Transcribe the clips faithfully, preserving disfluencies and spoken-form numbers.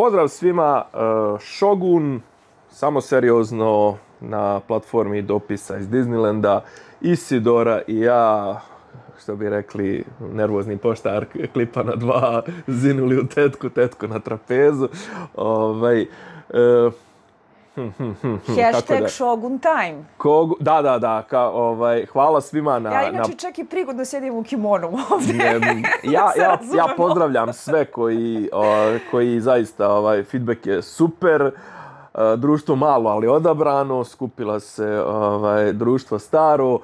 Pozdrav svima, Shogun, samo seriozno na platformi dopisa iz Disneylanda, Isidora i ja, što bi rekli nervozni poštar, klipa na dva, zinuli u tetku, tetku na trapezu. Ovaj, e, hm, hm, hm, hm, Hashtag da, Shogun time. Kogu, da, da, da, ka, ovaj, hvala svima na... Ja inače na... čak i prigodno sedim u kimonu ovdje. Ne, ja, ja, ja pozdravljam sve koji, o, koji zaista, ovaj, feedback je super. Društvo malo, ali odabrano, skupila se ovaj, društvo staro.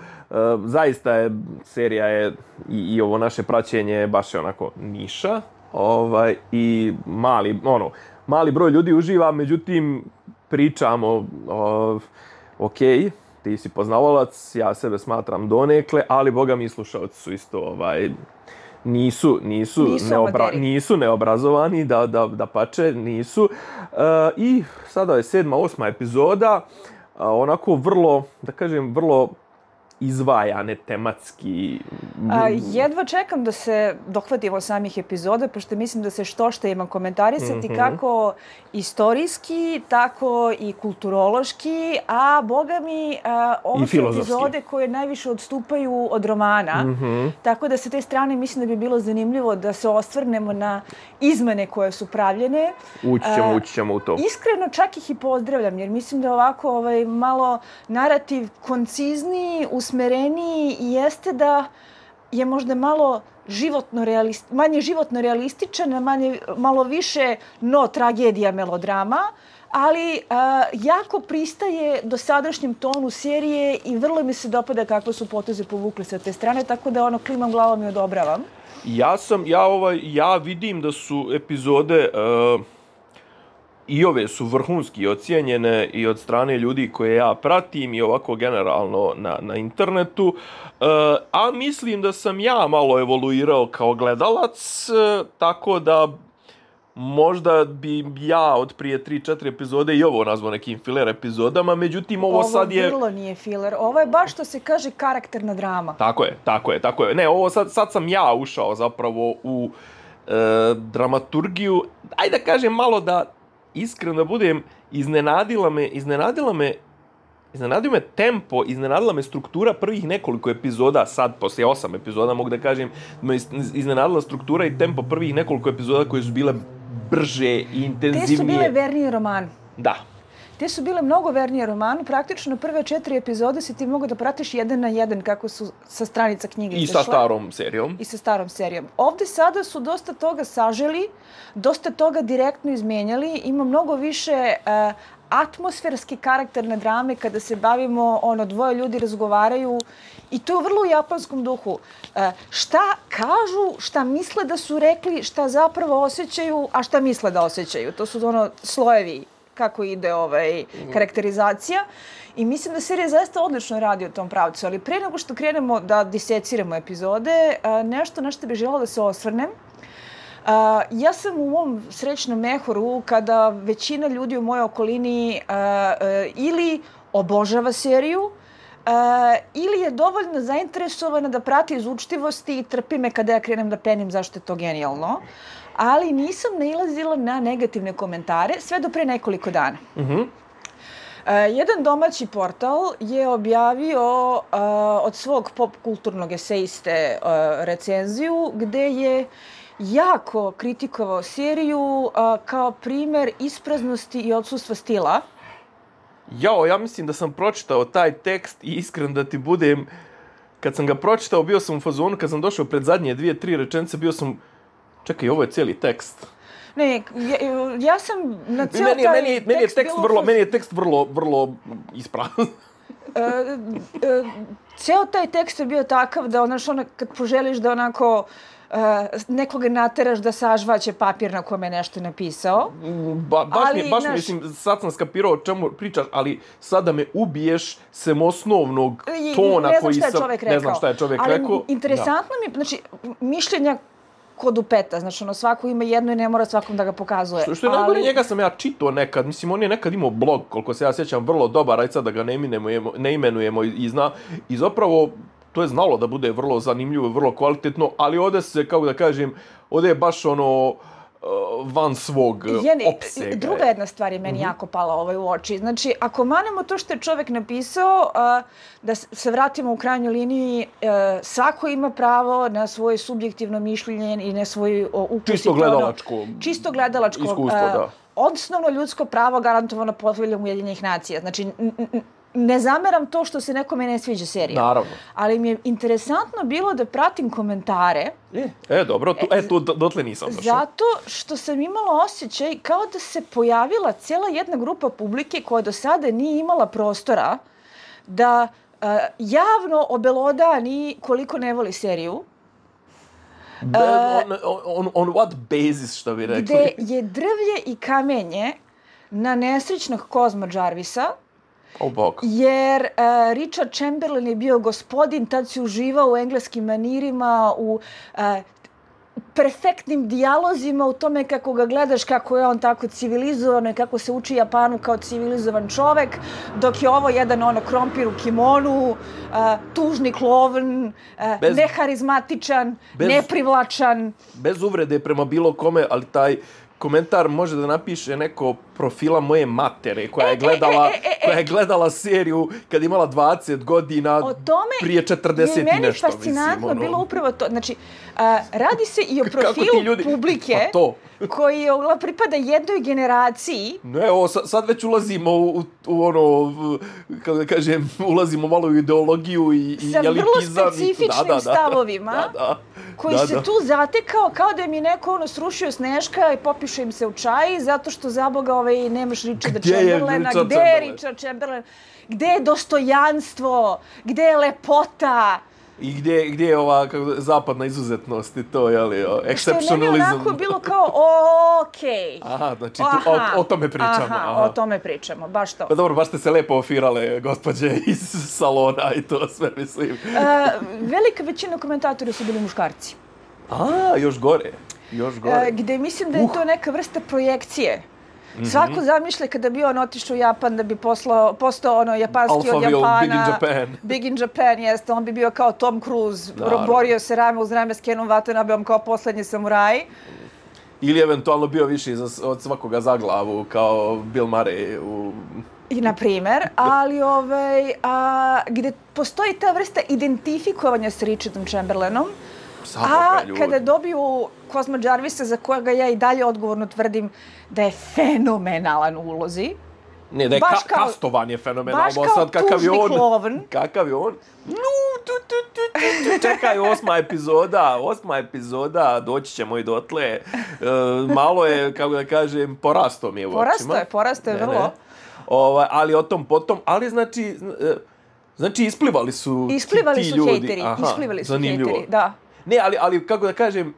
Zaista je, serija je i, i ovo naše praćenje baš je onako niša. Ovaj, i mali, ono, mali broj ljudi uživa, međutim, pričamo, o, ok, ti si poznavalac, ja sebe smatram donekle, ali boga mi slušalci su isto, ovaj, nisu, nisu, nisu, neobra, nisu neobrazovani, da, da, da pače, nisu. Uh, I sada je sedma, osma epizoda, uh, onako vrlo, da kažem, vrlo izvajane tematski. A, jedva čekam da se dohvatimo samih epizoda, pošto mislim da se što što ima komentarisati, mm-hmm. kako istorijski, tako i kulturološki, a boga mi, a, ovo su epizode koje najviše odstupaju od romana, mm-hmm. tako da sa te strane mislim da bi bilo zanimljivo da se osvrnemo na izmene koje su pravljene. Ući ćemo, ući ćemo u to. Iskreno čak ih i pozdravljam, jer mislim da ovako ovaj, malo narativ koncizniji, usmereniji i jeste da je možda malo životno realist, manje životno realističan, manje, malo više no tragedija melodrama, ali a, jako pristaje dosadašnjem tonu serije i vrlo mi se dopada kako su poteze povukli sa te strane, tako da ono klimam glavom i odobravam. Ja sam, ja ovaj, ja vidim da su epizode uh, i ove su vrhunski ocijenjene i od strane ljudi koje ja pratim i ovako generalno na, na internetu. Uh, a mislim da sam ja malo evoluirao kao gledalac, uh, tako da možda bi ja od prije tri četiri epizode i ovo nazvao nekim filler epizodama, međutim ovo, ovo sad je... Ovo vrlo nije filler, ovo je baš što se kaže karakterna drama. Tako je, tako je, tako je. Ne, ovo sad, sad sam ja ušao zapravo u e, dramaturgiju. Ajde da kažem malo da iskreno da budem, iznenadila me, iznenadila me, iznenadio me tempo, iznenadila me struktura prvih nekoliko epizoda, sad poslije osam epizoda mogu da kažem, me iznenadila struktura i tempo prvih nekoliko epizoda koje su bile brže i intenzivnije. Te su bile vernije romanu. Da. Te su bile mnogo vernije romanu. Praktično prve četiri epizode si ti mogu da pratiš jedan na jedan kako su sa stranica knjige I sa starom serijom. I sa starom serijom. Ovde sada su dosta toga saželi, dosta toga direktno izmenjali. Ima mnogo više uh, atmosferske karakterne drame kada se bavimo, ono, dvoje ljudi razgovaraju i to je vrlo u japanskom duhu. E, šta kažu, šta misle da su rekli, šta zapravo osjećaju, a šta misle da osjećaju. To su ono slojevi kako ide ovaj karakterizacija. I mislim da serija zaista odlično radi u tom pravcu. Ali pre nego što krenemo da diseciramo epizode, nešto na što bih želela da se osvrnem. Uh, ja sam u mom srećnom mehoru kada većina ljudi u mojoj okolini uh, uh, ili obožava seriju uh, ili je dovoljno zainteresovana da prati iz učtivosti i trpi me kada ja krenem da penim zašto je to genijalno. Ali nisam nailazila na negativne komentare sve do pre nekoliko dana. Mm-hmm. Uh, jedan domaći portal je objavio uh, od svog pop kulturnog esejiste uh, recenziju gde je jako kritikovao seriju uh, kao primer ispraznosti i odsustva stila. Jao, ja mislim da sam pročitao taj tekst i iskren da ti budem, kad sam ga pročitao, bio sam u fazonu, kad sam došao pred zadnje dvije, tri rečenice, bio sam, čekaj, ovo je cijeli tekst. Ne, ja, ja sam na cijel meni, taj meni, meni je tekst vrlo, meni je tekst vrlo, vrlo isprazan. uh, uh, ceo taj tekst je bio takav da onaš, ona, kad poželiš da onako Uh, nekoga nateraš da sažvaće papir na kome je nešto napisao. Ba, baš ali, mi, baš naš... mislim, sad sam skapirao o čemu pričaš, ali sad da me ubiješ sem osnovnog tona koji sam... Ne znam šta je čovjek ali rekao. Ali interesantno da. mi, znači, mišljenja kod upeta, znači ono, svako ima jedno i ne mora svakom da ga pokazuje. Što, što je ali... najgore, njega sam ja čitao nekad, mislim, on je nekad imao blog, koliko se ja sjećam, vrlo dobar, aj sad da ga ne imenujemo, ne imenujemo i, i zna, i zapravo to je znalo da bude vrlo zanimljivo, vrlo kvalitetno, ali ovdje se, kako da kažem, ovdje je baš ono, van svog Jeni, opsega. Druga jedna stvar je meni mm-hmm. jako pala ovaj u oči. Znači, ako manemo to što je čovjek napisao, uh, da se vratimo u krajnjoj liniji, uh, svako ima pravo na svoje subjektivno mišljenje i na svoj uh, ukus. Čisto gledalačko. Ono, čisto gledalačko. Iskustvo, uh, da. Osnovno ljudsko pravo garantovano Poveljom Ujedinjenih nacija. Znači, n- n- ne zameram to što se nekome ne sviđa serija. Naravno. Ali mi je interesantno bilo da pratim komentare. E, e dobro, tu, e, tu dotle nisam došao. Zato što sam imala osjećaj kao da se pojavila cijela jedna grupa publike koja do sada nije imala prostora da uh, javno obelodani koliko ne voli seriju. Be, on, on, on what basis, što bi rekli? Gde je drvlje i kamenje na nesrećnog Kozma Jarvisa. Oh, bog. Jer uh, Richard Chamberlain je bio gospodin, tad si uživao u engleskim manirima, u uh, perfektnim dijalozima, u tome kako ga gledaš, kako je on tako civilizovan i kako se uči Japanu kao civilizovan čovek, dok je ovo jedan ono krompir u kimonu, uh, tužni klovn, uh, bez, neharizmatičan, bez, neprivlačan. Bez uvrede prema bilo kome, ali taj komentar može da napiše neko profila moje matere koja je gledala, e, e, e, e, koja je gledala seriju kad je imala dvadeset godina prije četrdeset i nešto. O tome je meni fascinantno ono. Bilo upravo to. Znači, uh, radi se i o profilu ljudi, publike pa to. koji pripada jednoj generaciji. Ne, ovo, sad već ulazimo u, u, u ono, kako da kažem, ulazimo malo u ideologiju i, i sa elitizam. Sa vrlo specifičnim da, da, da, stavovima. Da, da. Koji da, se da. tu zatekao kao da mi neko ono srušio Sneška i popiše im se u čaji zato što za Boga ovaj, nemaš Richarda Chamberlaina. Gde je Richard Chamberlain? Gde je dostojanstvo? Gde je lepota? I gdje, gdje je ova kako, zapadna izuzetnost i to, jeli, exceptionalism. Što je meni onako bilo kao, okej. Okay. Aha, znači tu, o, o tome pričamo. Aha, aha, o tome pričamo, baš to. Pa dobro, baš ste se lepo ofirale, gospođe iz salona i to sve, mislim. Uh, velika većina komentatora su bili muškarci. A, još gore, još gore. Uh, gde mislim da je uh. to neka vrsta projekcije. Mm-hmm. Svako zamišlja kada bi on otišao u Japan da bi poslao, postao ono japanski od Japana. Big in Japan. Big in Japan, jeste. On bi bio kao Tom Cruise, Naravno. borio se rame uz rame s Kenom Watanabom kao poslednji samuraj. Ili eventualno bio više od svakoga za glavu kao Bill Murray u... I na primer, ali ovaj, a, gde postoji ta vrsta identifikovanja s Richardom Chamberlainom, a kada dobiju Kozma Jarvisa, za kojega ja i dalje odgovorno tvrdim da je fenomenalan u ulozi. Ne, da je ka- kao, kastovan je fenomenalno. Baš kao sad, kakav tužni on, klovn. Kakav je on? No, tu, tu, tu, tu, tu. Čekaj, osma epizoda, osma epizoda, doći ćemo i dotle. E, malo je, kako da kažem, porasto mi je u očima. Porasto je, porasto je ne, vrlo. Ne. Ovaj, ali o tom potom, ali znači, znači isplivali su isplivali ti su ljudi. Hejteri, Aha, isplivali su zanimljivo. hejteri, da. Ne, ali, ali kako da kažem,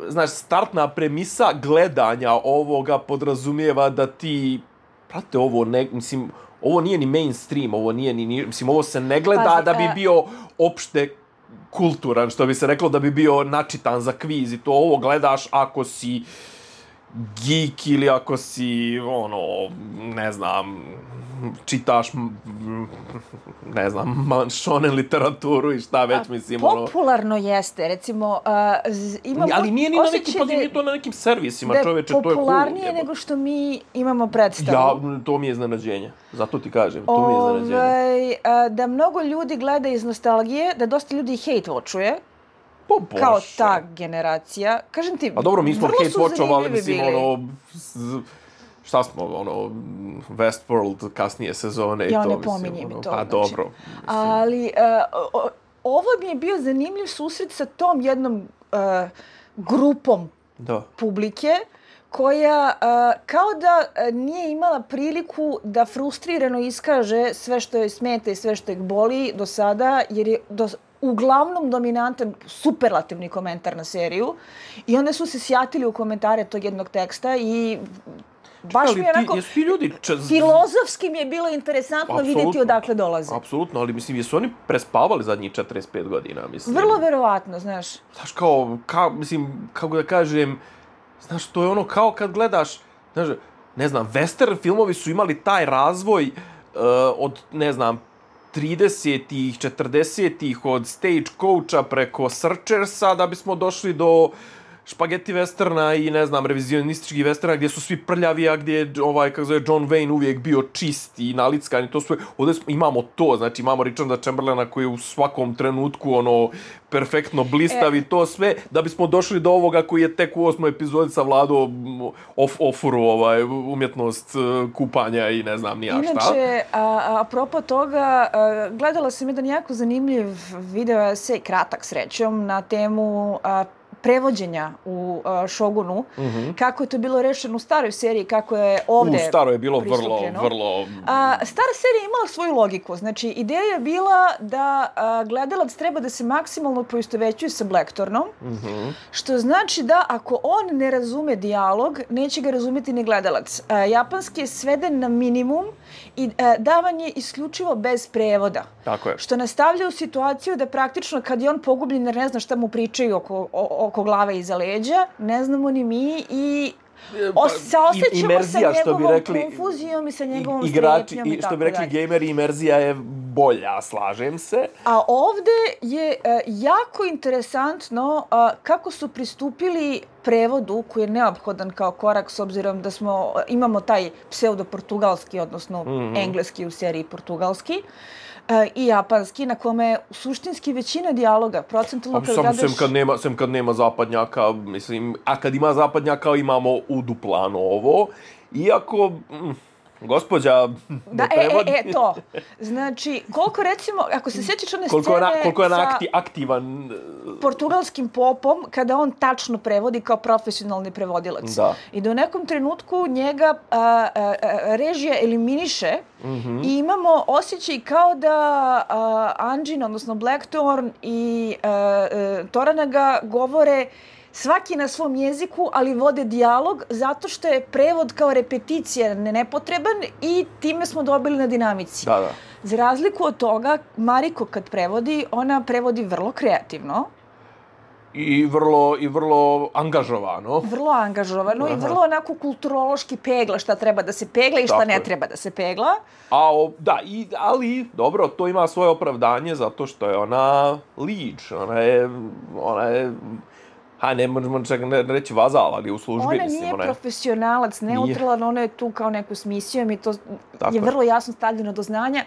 znaš, startna premisa gledanja ovoga podrazumijeva da ti, prate, ovo, ne, mislim, ovo nije ni mainstream, ovo nije ni, mislim, ovo se ne gleda Pazi, da bi a... bio opšte kulturan, što bi se reklo da bi bio načitan za kviz i to ovo gledaš ako si geek ili ako si, ono, ne znam, čitaš, ne znam, shonen literaturu i šta već, mislim, ono... Popularno jeste, recimo, uh, imamo ali nije ni na nekim, pa nije to na nekim servisima, čoveče, to je cool. Da je popularnije nego što mi imamo predstavu. Ja, to mi je iznenađenje, zato ti kažem, to mi je iznenađenje. Ovaj, uh, da mnogo ljudi gleda iz nostalgije, da dosta ljudi hate watchuje, po Bože. Kao ta generacija. Kažem ti, a dobro, mi smo hate watchovali, mislim, bili. ono... Šta smo, ono, Westworld, kasnije sezone i ja, to, ne mislim. pominje mi ono, to. Pa znači. dobro. Mislim. Ali, uh, ovo mi je bio zanimljiv susret sa tom jednom uh, grupom da. publike, koja uh, kao da nije imala priliku da frustrirano iskaže sve što joj smeta i sve što ih boli do sada, jer je do, uglavnom dominantan superlativni komentar na seriju. I onda su se sjatili u komentare tog jednog teksta i baš ali mi je onako, ti, jesu ti ljudi čez... filozofski mi je bilo interesantno Absolutno. vidjeti odakle dolaze. Apsolutno, ali mislim, jesu oni prespavali zadnjih četrdeset pet godina, mislim. Vrlo verovatno, znaš. Znaš, kao, kao, mislim, kako da kažem, znaš, to je ono kao kad gledaš, znaš, ne znam, western filmovi su imali taj razvoj uh, od, ne znam, tridesetih, četrdesetih, od Stagecoacha preko Searchersa, da bismo došli do špageti westerna i, ne znam, revizionističkih westerna gdje su svi prljavi, a gdje je, ovaj, kako zove, John Wayne uvijek bio čist i nalickan i to sve. Ovdje smo, imamo to, znači imamo Richarda Chamberlaina koji je u svakom trenutku, ono, perfektno blistav i e. to sve, da bismo došli do ovoga koji je tek u osmoj epizodi savladao of, ofuru, ovaj, umjetnost kupanja i ne znam ni ja šta. Inače, a, apropo toga, a, gledala sam jedan jako zanimljiv video esej, kratak srećom, na temu a, prevođenja u uh, Šogunu, mm-hmm. kako je to bilo rešeno u staroj seriji, kako je ovde U staro je bilo vrlo, vrlo... A, stara serija je imala svoju logiku. Znači, ideja je bila da a, gledalac treba da se maksimalno poistovećuje sa Blackthornom, mm-hmm. što znači da ako on ne razume dijalog, neće ga razumjeti ni gledalac. A, japanski je sveden na minimum i a, davan je isključivo bez prevoda. Tako je. Što nastavlja u situaciju da praktično kad je on pogubljen jer ne zna šta mu pričaju oko, o, oko glave iza leđa, ne znamo ni mi i o, se osjećamo sa njegovom rekli, konfuzijom i sa njegovom strepnjom i, i što bi rekli gameri, imerzija je bolja, slažem se. A ovde je uh, jako interesantno uh, kako su pristupili prevodu koji je neophodan kao korak s obzirom da smo imamo taj pseudo-portugalski, odnosno mm-hmm. engleski u seriji portugalski. Uh, i japanski, na kome je suštinski većina dijaloga, procentualno kad gledaš... Sem kad nema, sem kad nema zapadnjaka, mislim, a kad ima zapadnjaka imamo u duplano ovo, iako... Mm, gospođa da, ne prevodi. E, e, e, to. Znači, koliko recimo, ako se sjećaš one koliko scene na, koliko je sa akti, aktivan portugalskim popom, kada on tačno prevodi kao profesionalni prevodilac. Da. I da u nekom trenutku njega a, a, a, režija eliminiše mm-hmm. i imamo osjećaj kao da a, Anjin, odnosno Blackthorn i a, a, Toranaga govore svaki na svom jeziku, ali vode dijalog zato što je prevod kao repeticija nepotreban i time smo dobili na dinamici. Da, da. Za razliku od toga, Mariko kad prevodi, ona prevodi vrlo kreativno. I vrlo, i vrlo angažovano. Vrlo angažovano Aha. i vrlo onako kulturološki pegla šta treba da se pegla i šta Tako ne je. treba da se pegla. A, o, da, i, ali, dobro, to ima svoje opravdanje zato što je ona lič, ona je, ona je ha, ne možemo čak ne reći vazal, ali u službi. Ona mislim, nije ona je... profesionalac, neutralan, ona je tu kao neku s misijom i to Tako je vrlo jasno stavljeno do znanja.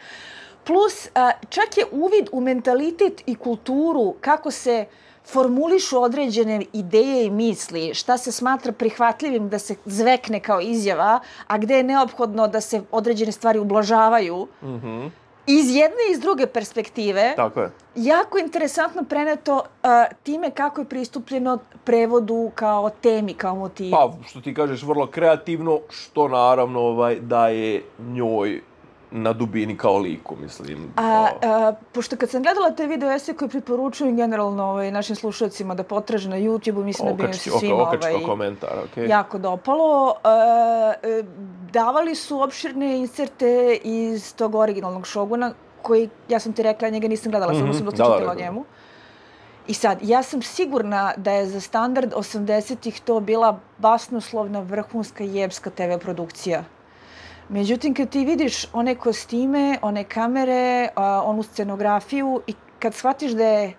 Plus, čak je uvid u mentalitet i kulturu, kako se formulišu određene ideje i misli, šta se smatra prihvatljivim da se zvekne kao izjava, a gde je neophodno da se određene stvari ublažavaju. Mhm. Iz jedne i iz druge perspektive, Tako je. jako interesantno preneto uh, time kako je pristupljeno prevodu kao temi, kao motivu. Pa, što ti kažeš, vrlo kreativno, što naravno ovaj, daje njoj na dubini kao liku, mislim. A, a, pošto kad sam gledala te video esej koje preporučujem generalno ovaj, našim slušalcima da potraže na YouTube-u, mislim okački, da bi im se svima okački, ovaj, komentar, okay. jako dopalo. A, a, davali su opširne inserte iz tog originalnog Šoguna, koji, ja sam ti rekla, njega nisam gledala, mm-hmm. samo sam dosta čitala o njemu. I sad, ja sam sigurna da je za standard osamdesetih to bila basnoslovna, vrhunska, jebska te ve produkcija. Međutim, kad ti vidiš one kostime, one kamere, onu scenografiju i kad shvatiš da je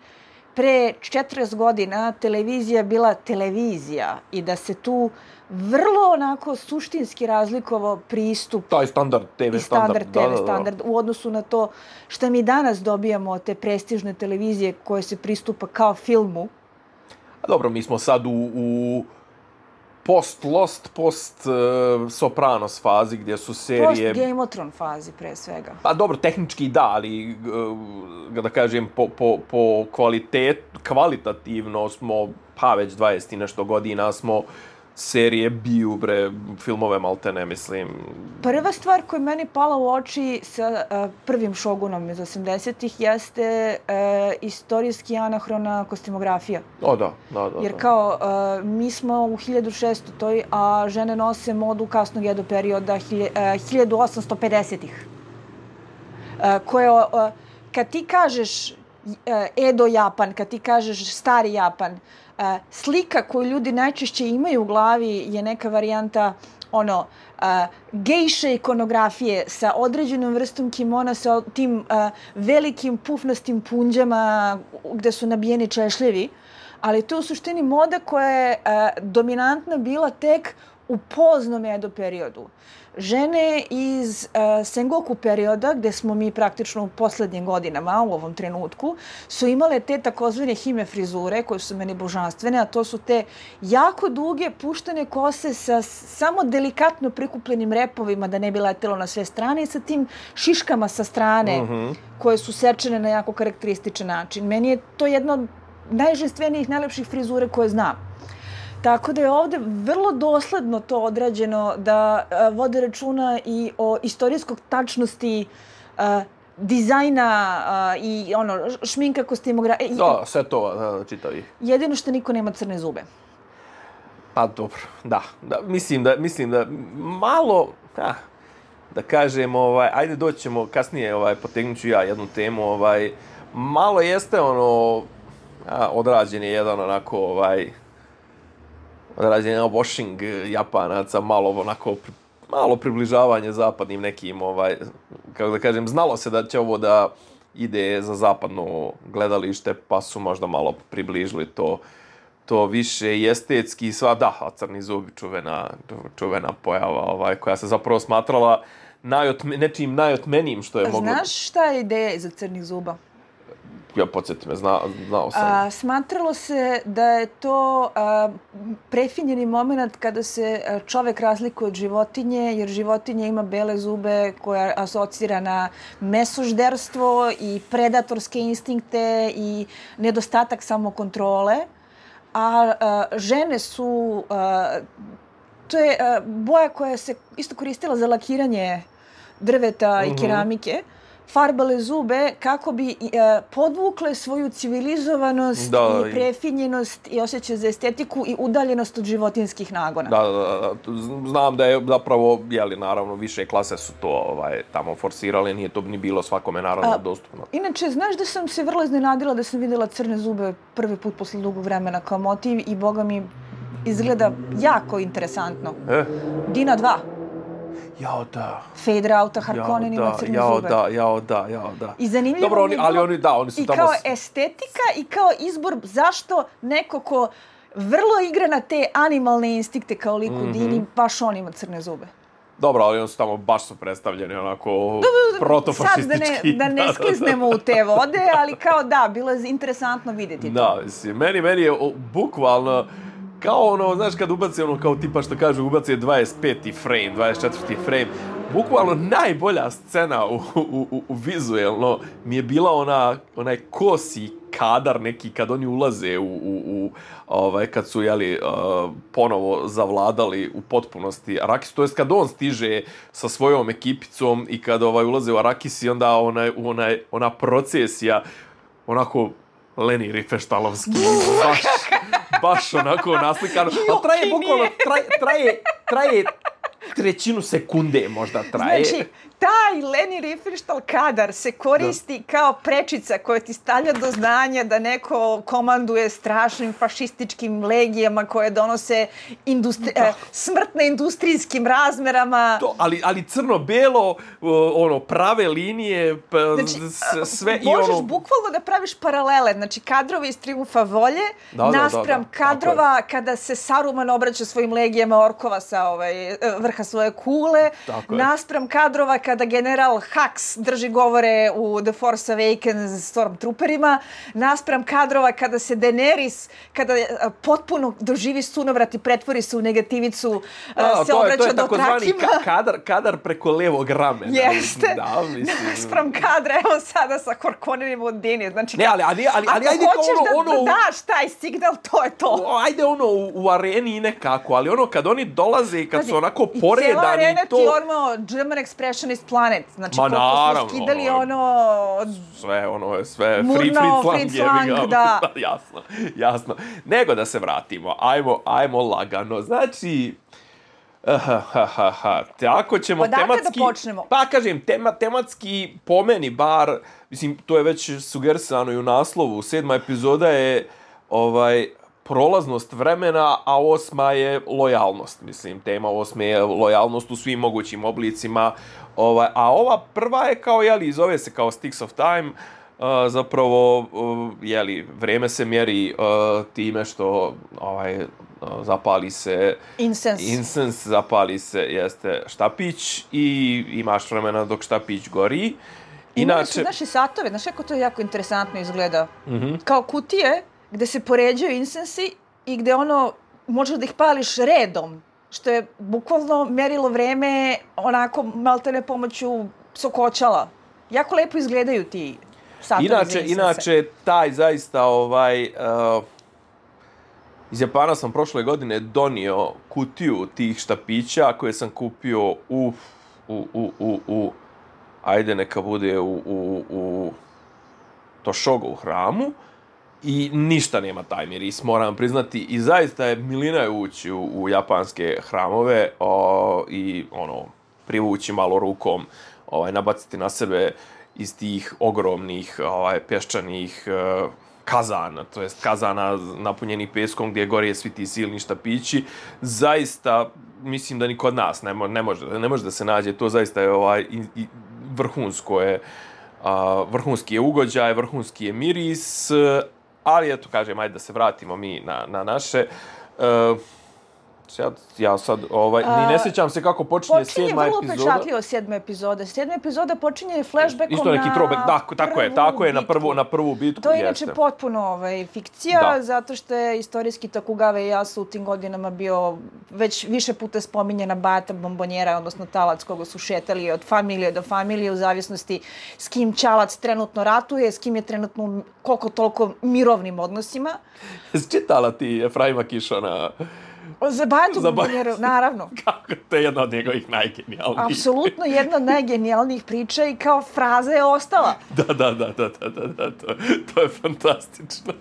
pre četrdeset godina televizija bila televizija i da se tu vrlo onako suštinski razlikovao pristup taj standard te ve standard, standard te ve da, standard da, da. u odnosu na to što mi danas dobijamo od te prestižne televizije koje se pristupa kao filmu. A dobro, mi smo sad u, u post-Lost, post-Sopranos fazi gdje su serije... Post-Game of Thrones fazi, pre svega. Pa dobro, tehnički da, ali da kažem, po, po, po kvalitet, kvalitativno smo, pa već dvadeset i nešto godina smo serije biju, bre, filmove maltene, mislim. Prva stvar koja je meni pala u oči sa uh, prvim Šogunom iz osamdesetih jeste uh, istorijski anahrona kostimografija. O, da, da, da. Jer kao, uh, mi smo u hiljadu šeststotoj, a žene nose modu kasnog Edo perioda hilj, uh, hiljadu osamsto pedesetih. Uh, koje, uh, kad ti kažeš uh, Edo Japan, kad ti kažeš stari Japan, Uh, slika koju ljudi najčešće imaju u glavi je neka varijanta ono uh, gejše ikonografije sa određenom vrstom kimona, sa tim uh, velikim pufnastim punđama gde su nabijeni češljevi. ali to je u suštini moda koja je uh, dominantna bila tek u poznom Edo periodu. Žene iz uh, Sengoku perioda, gde smo mi praktično u poslednjim godinama, u ovom trenutku, su imale te takozvane hime frizure, koje su meni božanstvene, a to su te jako duge, puštene kose sa samo delikatno prikupljenim repovima, da ne bi letelo na sve strane, i sa tim šiškama sa strane, mm-hmm. koje su sečene na jako karakterističan način. Meni je to jedna od najženstvenijih, najlepših frizure koje znam. Tako da je ovde vrlo dosledno to odrađeno da uh, vode računa i o istorijskog tačnosti uh, dizajna uh, i ono, šminka, kostimografija. Da, sve to da, čitavi. Jedino što niko nema crne zube. Pa dobro, da. da mislim, da mislim da malo, ah, da kažem, ovaj, ajde doćemo kasnije, ovaj, potegnut ću ja jednu temu, ovaj, malo jeste ono, a, odrađen je jedan onako, ovaj, odrađen je washing Japanaca, malo onako, malo približavanje zapadnim nekim, ovaj, kako da kažem, znalo se da će ovo da ide za zapadno gledalište, pa su možda malo približili to, to više i estetski, sva, da, a crni zub, čuvena, čuvena pojava, ovaj, koja se zapravo smatrala najotme, nečim najotmenijim što je moglo... Znaš šta je ideja iza crnih zuba? Ja, podsjeti me, zna, znao sam. A, smatralo se da je to a, prefinjeni moment kada se čovek razlikuje od životinje, jer životinja ima bele zube koja asocira na mesožderstvo i predatorske instinkte i nedostatak samokontrole. A, a žene su... A, to je a, boja koja se isto koristila za lakiranje drveta mm-hmm. i keramike. Farbale zube kako bi e, podvukle svoju civilizovanost da, i prefinjenost i osjećaj za estetiku i udaljenost od životinskih nagona. Da, da, da. Znam da je zapravo, jeli, naravno, više klase su to ovaj, tamo forsirale, nije to ni bilo svakome naravno A, dostupno. Inače, znaš da sam se vrlo iznenadila da sam vidjela crne zube prvi put posle dugog vremena kao motiv i boga mi izgleda jako interesantno. E? Dina dva. Jao da. Fade Rauta Harkonnen ima crne jao zube. Da, jao da, jao da. I zanimljivo Dobro, oni, mi ali oni, da, oni su i tamo... kao estetika i kao izbor zašto neko ko vrlo igra na te animalne instinkte kao lik u mm-hmm. Dini, baš on ima crne zube. Dobro, ali oni su tamo baš su predstavljeni onako protofašistički. Sad da ne, da ne skliznemo u te vode, ali kao da, bilo je interesantno vidjeti to. Da, mislim, meni, meni je bukvalno... Kao ono, znaš, kad ubaci ono, kao tipa što kažu, ubaci dvadeset peti frame, dvadeset četvrti frame, bukvalno najbolja scena u, u, u, u vizuelno mi je bila ona, onaj kosi kadar neki kad oni ulaze u, u, u ovaj, kad su, jeli, uh, ponovo zavladali u potpunosti Arrakis, to jest kad on stiže sa svojom ekipicom i kad ovaj, ulaze u Arrakis i onda onaj, onaj, ona procesija, onako, Leni Riefenstahlovski, baš, baš onako naslikano. Ali traje bukvalno, traje, traje, traje trećinu sekunde možda traje. Znači, taj Leni Riefenstahl kadar se koristi da. kao prečica koja ti stavlja do znanja da neko komanduje strašnim fašističkim legijama koje donose industri- eh, smrtne industrijskim razmerama. To, ali, ali crno-belo, ono, prave linije, p- znači, sve i ono... Možeš bukvalno da praviš paralele, znači kadrove iz Triumfa volje, da, naspram da, da, da. kadrova kada se Saruman obraća svojim legijama orkova sa ovaj, vrha svoje kule, naspram kadrova kada general Hux drži govore u The Force Awakens Stormtrooperima, naspram kadrova kada se Daenerys, kada potpuno doživi sunovrat i pretvori se u negativicu, A, se to obraća je, to je do trakima. Ka- kadar, kadar preko levog ramena. Jeste. Da, mislim. Naspram kadra, evo sada sa Harkonnenim od Dini. Znači, ne, ali, ali, ali, ali ajde ako hoćeš ono, da ono, daš taj signal, to je to. Ajde ono u, u areni nekako, ali ono kad oni dolaze i kad znači, su onako poredani to... I cijela arena ti ono German Expressionist Planet. Znači, Ma naravno, smo skidali ono... Sve, ono, sve, Murno, free, free slang, free slang, da. Jasno, jasno. Nego da se vratimo, ajmo, ajmo lagano. Znači, ha, ha, ha, ha. Tako ćemo Odakle tematski... da počnemo? Pa, kažem, tema, tematski, po meni bar, mislim, to je već sugerisano i u naslovu, sedma epizoda je, ovaj, prolaznost vremena, a osma je lojalnost. Mislim, tema osme je lojalnost u svim mogućim oblicima. Ovaj, a ova prva je kao, jeli, zove se kao Sticks of Time, Uh, zapravo, uh, jeli, vrijeme se mjeri uh, time što ovaj, uh, zapali se Incense. incense, zapali se, jeste, štapić i imaš vremena dok štapić gori. Imali su naše satove, znaš kako to jako interesantno izgleda. Mm-hmm. Kao kutije gde se poređaju incensi i gde ono, možeš da ih pališ redom, što je bukvalno merilo vreme onako maltene pomoću sokoćala. Jako lepo izgledaju ti satovi inače, za incense. Inače, taj zaista ovaj... Uh, iz Japana sam prošle godine donio kutiju tih štapića koje sam kupio u... u, u, u, u ajde neka bude u, u, u Toshogu hramu i ništa nema taj miris, moram priznati. I zaista je milina je ući u, u japanske hramove o, i ono, privući malo rukom, ovaj, nabaciti na sebe iz tih ogromnih ovaj, pješčanih uh, kazana, to jest kazana napunjenih peskom gdje gore svi ti silni štapići. Zaista, mislim da ni kod nas ne, mo- ne, može, ne može da se nađe, to zaista je ovaj, i, i, vrhunsko je, uh, vrhunski je ugođaj, vrhunski je miris, ali eto, kažem, ajde da se vratimo mi na, na naše. Uh, ja, ja sad, ovaj, ni ne sjećam se kako počinje, počinje sedma epizoda. Počinje vrlo pečatljivo sedma epizoda. Sedma epizoda počinje flashbackom na... Isto neki throwback, da, tako je, tako je, na prvu, na prvu bitku. To je jeste. Inače potpuno ovaj, fikcija, da. Zato što je istorijski Tokugawa Ieyasu u tim godinama bio već više puta spominjena bata bombonjera, odnosno talac koga su šetali od familije do familije u zavisnosti s kim Ćalac trenutno ratuje, s kim je trenutno koliko toliko mirovnim odnosima. Jesi čitala ti Efraima Kišona? Za Batu bombonjeru, naravno. Kako, to je jedna od njegovih najgenijalnijih. Apsolutno jedna od najgenijalnijih priča i kao fraza je ostala. Da, da, da, da, da, da, da, to, to je fantastično.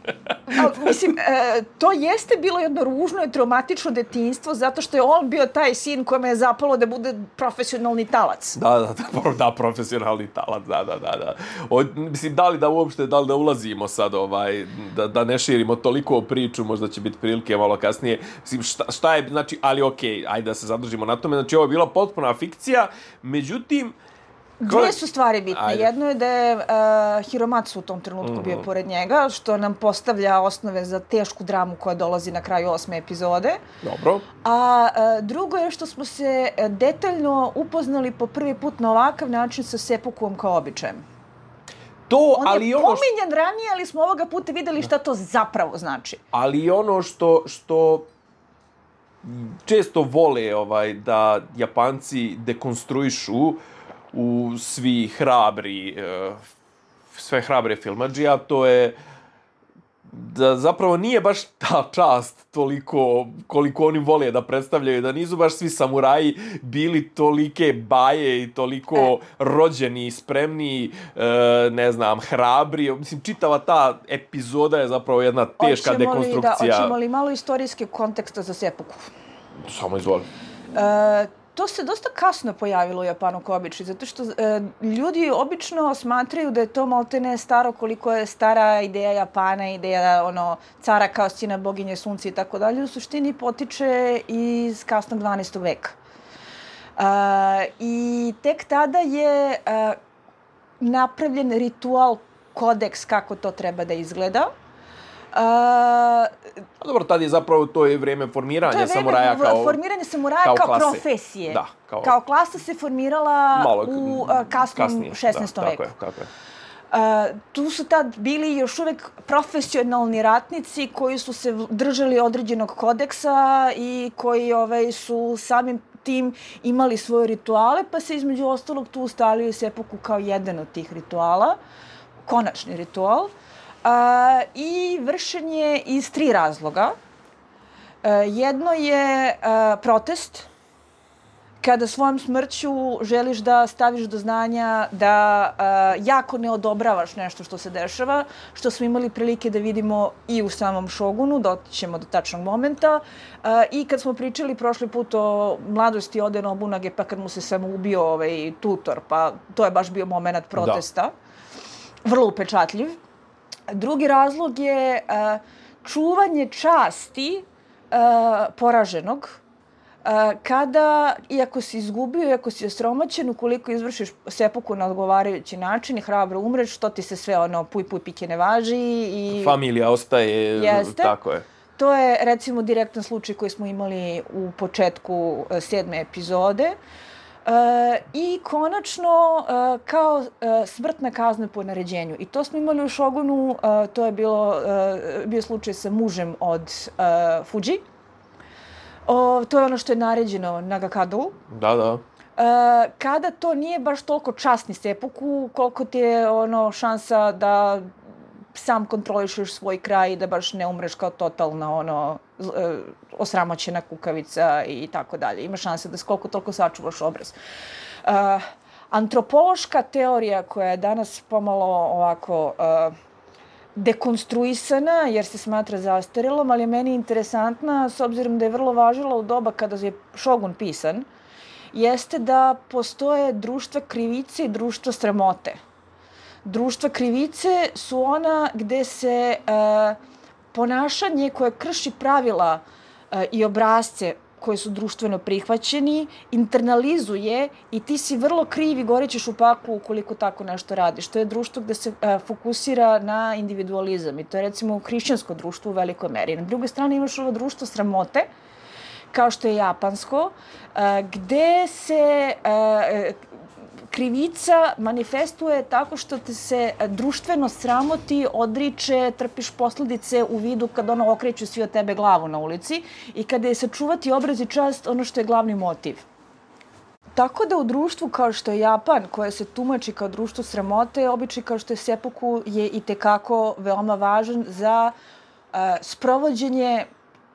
A, mislim, e, to jeste bilo jedno ružno i traumatično detinjstvo zato što je on bio taj sin kojima je zapalo da bude profesionalni talac. Da, da, da, da, profesionalni talac, da, da, da, da. O, mislim, da li da uopšte, da li da ulazimo sad, ovaj, da, da ne širimo toliko priču, možda će biti prilike malo kasnije. Mislim, šta, šta je, znači, ali okej, okay, ajde da se zadržimo na tome, znači ovo je bila potpuna fikcija, međutim... Dvije su stvari bitne. Ajde. Jedno je da je uh, Hiromatsu u tom trenutku mm-hmm. bio pored njega, što nam postavlja osnove za tešku dramu koja dolazi na kraju osme epizode. Dobro. A uh, drugo je što smo se detaljno upoznali po prvi put na ovakav način sa Seppukuom kao običajem. To, On ali je ono pominjan što... ranije, ali smo ovoga puta videli šta to zapravo znači. Ali ono što, što često vole ovaj, da Japanci dekonstruišu u svi hrabri, sve hrabre filmadžija, to je da zapravo nije baš ta čast toliko koliko oni vole da predstavljaju, da nisu baš svi samuraji bili tolike baje i toliko e. rođeni, spremni, ne znam, hrabri. Mislim, čitava ta epizoda je zapravo jedna teška hoćemo dekonstrukcija. Da, hoćemo li malo istorijske konteksta za Seppuku? Samo izvoli. E, To se dosta kasno pojavilo u Japanu kao običaj, zato što e, ljudi obično smatraju da je to maltene staro koliko je stara ideja Japana, ideja ono, cara kao sina boginje sunca i tako dalje. U suštini potiče iz kasnog dvanaestog veka. E, I tek tada je e, napravljen ritual, kodeks kako to treba da izgleda. Uh, dobro, tad je zapravo to je vrijeme formiranja je samuraja kao... formiranje samuraja kao, kao profesije. Da, kao... kao klasa se formirala malo, u uh, kasnom kasnije, šesnaestom da, veku. Tako je, tako je. Uh, tu su tad bili još uvijek profesionalni ratnici koji su se držali određenog kodeksa i koji ovaj, su samim tim imali svoje rituale, pa se između ostalog tu ustalio Seppuku kao jedan od tih rituala, konačni ritual. Uh, i vršen je iz tri razloga. Uh, jedno je uh, protest, kada svojom smrću želiš da staviš do znanja da uh, jako ne odobravaš nešto što se dešava, što smo imali prilike da vidimo i u samom Šogunu, doćemo do tačnog momenta. Uh, I kad smo pričali prošli put o mladosti Ode Nobunage, pa kad mu se samo ubio ovaj tutor, pa to je baš bio moment protesta. Da. Vrlo upečatljiv. Drugi razlog je uh, čuvanje časti uh, poraženog. kada, iako si izgubio, iako si osromaćen, ukoliko izvršiš sepuku na odgovarajući način i hrabro umreš, to ti se sve ono puj puj pike ne važi. I familija ostaje, jeste. Tako je. To je recimo direktan slučaj koji smo imali u početku sedme epizode. Uh, I konačno uh, kao uh, smrtna kazna po naređenju. I to smo imali u Shogunu, uh, to je bilo, uh, bio slučaj sa mužem od uh, Fuji. O, to je ono što je naređeno Nagakadu. Da, da. Uh, kada to nije baš toliko časni sepuku, koliko ti je ono šansa da sam kontrolišeš svoj kraj i da baš ne umreš kao totalna ono uh, osramoćena kukavica i tako dalje. Ima šanse da koliko toliko sačuvaš obraz. Uh, antropološka teorija koja je danas pomalo ovako uh, dekonstruisana jer se smatra zastarelom, ali je meni interesantna s obzirom da je vrlo važila u doba kada je Shogun pisan, jeste da postoje društva krivice i društva sramote. Društva krivice su ona gde se uh, ponašanje koje krši pravila uh, i obrazce koji su društveno prihvaćeni, internalizuje i ti si vrlo kriv i gorećeš u paklu ukoliko tako nešto radiš. To je društvo gde se uh, fokusira na individualizam i to je recimo hrišćansko društvo u velikoj meri. Na drugoj strani imaš ovo društvo sramote, kao što je japansko, uh, gde se uh, krivica manifestuje tako što te se društveno sramoti, odriče, trpiš posljedice u vidu kad ono okreću svi od tebe glavu na ulici i kada je sačuvati obraz i čast ono što je glavni motiv. Tako da u društvu kao što je Japan, koje se tumači kao društvo sramote, običaj kao što je seppuku je i tekako veoma važan za uh, sprovođenje,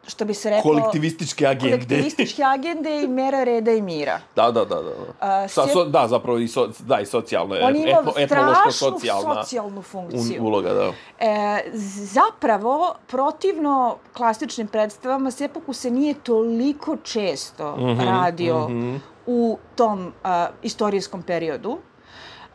što bi se reklo, kolektivističke agende. Kolektivističke agende i mera reda i mira. Da, da, da, da. Uh, Sa, so, da, zapravo i, so, da, i socijalno. On ima etno, strašnu socijalna socijalnu funkciju. Uloga, da. E, zapravo, protivno klasičnim predstavama, seppuku se nije toliko često mm-hmm, radio mm-hmm. u tom uh, istorijskom periodu.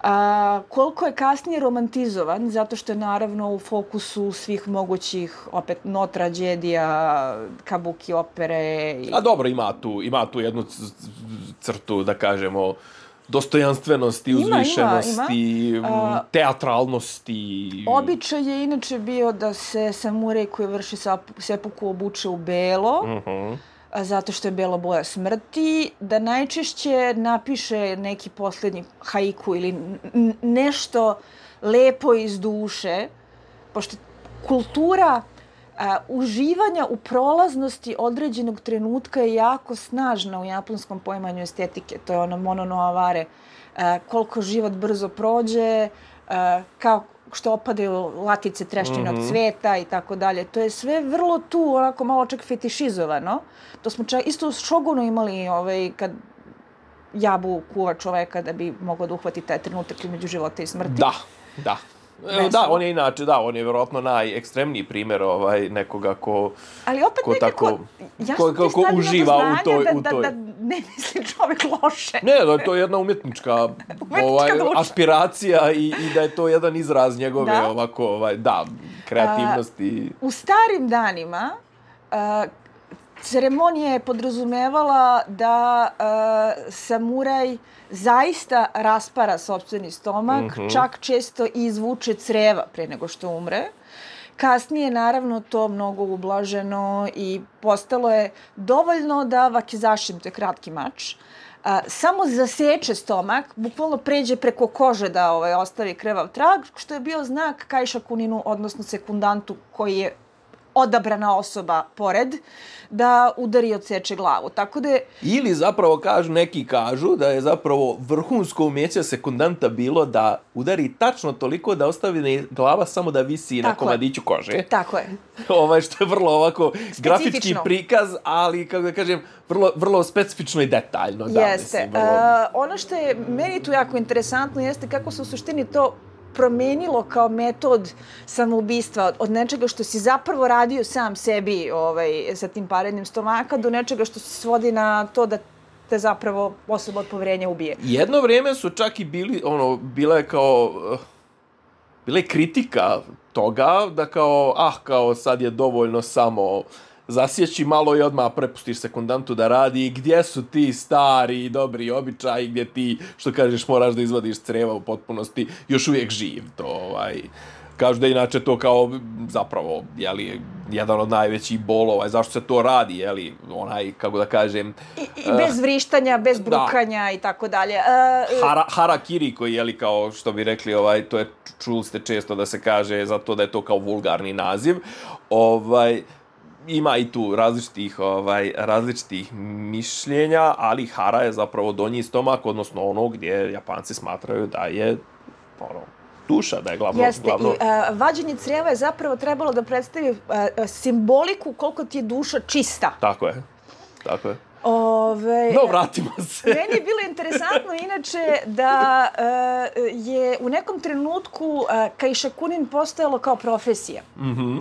A, koliko je kasnije romantizovan, zato što je naravno u fokusu svih mogućih, opet, no tragedija, kabuki opere. I... A dobro, ima tu, ima tu jednu crtu, da kažemo, dostojanstvenosti, ima, uzvišenosti, ima, ima. teatralnosti. Običaj je inače bio da se samurej koji vrši seppuku obuče u belo, uh-huh. zato što je bela boja smrti, da najčešće napiše neki posljednji haiku ili n- nešto lepo iz duše, pošto kultura a, uživanja u prolaznosti određenog trenutka je jako snažna u japanskom poimanju estetike. To je ono mono no avare, a, koliko život brzo prođe, a, kao što opadaju latice treščinog mm-hmm. cveta i tako dalje. To je sve vrlo tu, onako malo čak fetišizovano. To smo čak isto u Shogunu imali ovaj, kad jabu kuva čoveka da bi mogao da uhvati taj trenutak između života i smrti. Da, da. Veslo. Da, on je inače, da, on je vjerojatno najekstremniji primjer ovaj, nekoga ko... Ali opet ko nekako, tako, ja ko, ko, ko uživa u toj, da, u toj... Da, da ne misli čovjek loše. Ne, da, to je jedna umjetnička, ovaj, aspiracija i, i da je to jedan izraz njegove da? ovako, ovaj, da, kreativnosti. Uh, u starim danima uh, ceremonija je podrazumevala da uh, samuraj zaista raspara sopstveni stomak, mm-hmm. čak često i izvuče creva pre nego što umre. Kasnije, naravno, to mnogo ublaženo i postalo je dovoljno da wakizashi, to je kratki mač, a, samo zaseče stomak, bukvalno pređe preko kože da ovaj, ostavi krvav trag, što je bio znak kaishakuninu, odnosno sekundantu koji je odabrana osoba pored, da udari i odseče glavu. Tako da je... Ili zapravo kažu, neki kažu da je zapravo vrhunsko umjeće sekundanta bilo da udari tačno toliko da ostavi glava samo da visi tako na komadiću je. kože. Tako je. Ovaj, što je vrlo ovako grafički prikaz, ali, kako da kažem, vrlo, vrlo specifično i detaljno. Da, jeste. Mislim, vrlo... uh, ono što je meni tu jako interesantno jeste kako se u suštini to promenilo kao metod samoubistva od nečega što si zapravo radio sam sebi ovaj, sa tim parenjem stomaka do nečega što se svodi na to da te zapravo osoba od poverenja ubije. Jedno vrijeme su čak i bili, ono, bila je kao, bila je kritika toga da kao, ah, kao sad je dovoljno samo zasjeći malo i odmah prepustiš sekundantu da radi. Gdje su ti stari dobri običaji gdje ti, što kažeš, moraš da izvadiš creva u potpunosti, još uvijek živ. To, ovaj, kažu da inače to kao zapravo, jeli, jedan od najvećih bolova. Zašto se to radi, jeli, onaj, kako da kažem... I, i bez vrištanja, bez brukanja da. I tako dalje. Uh, Hara, harakiri koji, jeli, kao što bi rekli, ovaj, to je, čuli ste često da se kaže zato da je to kao vulgarni naziv. Ovaj, ima i tu različitih, ovaj, različitih mišljenja, ali hara je zapravo donji stomak, odnosno ono gdje Japanci smatraju da je ono, duša, da je glavno... Jeste, glavno... i uh, vađenje crijeva je zapravo trebalo da predstavi uh, simboliku koliko ti je duša čista. Tako je, tako je. Ove, no, vratimo se. Meni je bilo interesantno inače da uh, je u nekom trenutku uh, Kaišakunin postojalo kao profesija. Mhm.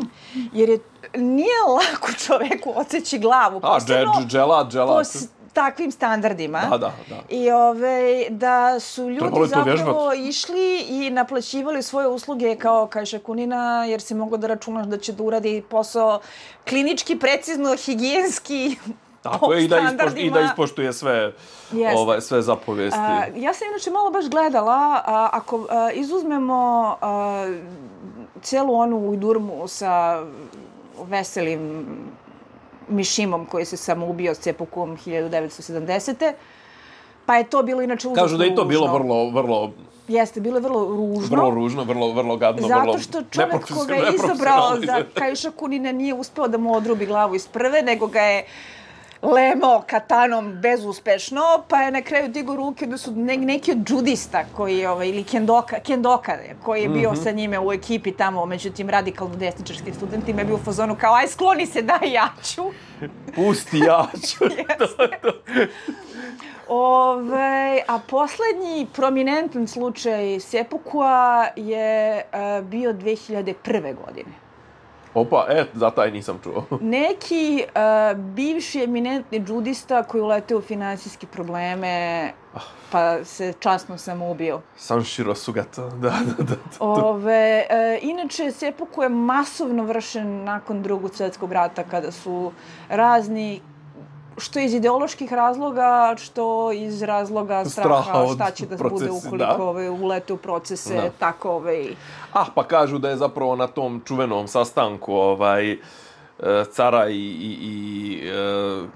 Jer je, nije lako čoveku odseći glavu. A, dželat, dželat. Takvim standardima. Da, da, da. I ove, da su ljudi zapravo vježbat. išli i naplaćivali svoje usluge kao Kaišakunina, jer si mogao da računaš da će da uradi posao klinički, precizno, higijenski, tako je, i da, ispoštuje, i da ispoštuje sve, ovaj, sve zapovesti. A, ja sam inače malo baš gledala, a, ako a, izuzmemo a, cijelu onu ujdurmu sa veselim Mišimom koji se samo ubio s Cepukom hiljadu devetsto sedamdesete. Pa je to bilo inače užasno ružno. Kažu da je to bilo vrlo, vrlo... Jeste, bilo je vrlo ružno. Vrlo ružno, vrlo, vrlo gadno, zato vrlo... Zato što čovjek koga je izabrao za Kaišakunina nije uspeo da mu odrubi glavu iz prve, nego ga je lemao katanom bezuspešno, pa je na kraju digao ruke da su ne, neki od džudista koji, ovaj, ili kendoka, kendoka koji je bio mm-hmm. sa njime u ekipi tamo, među tim radikalno desničarskim studentima, je bio u fazonu kao, aj skloni se, daj ja ću. Pusti, ja ću. Ove, a poslednji prominentan slučaj sepukua je uh, bio dve hiljade prve. godine. Opa, e, za taj nisam čuo. Neki uh, bivši eminentni džudista koji uleteo u finansijske probleme, pa se časno samoubio. Sanshiro Sugata, da, da, da. Ove, uh, inače, seppuku je masovno vršen nakon Drugog svjetskog rata, kada su razni, što iz ideoloških razloga, što iz razloga straha, straha šta će da procesi, bude ukoliko da. ove, ulete u procese, da. tako ove... Ah, pa kažu da je zapravo na tom čuvenom sastanku ovaj, cara i, i, i e,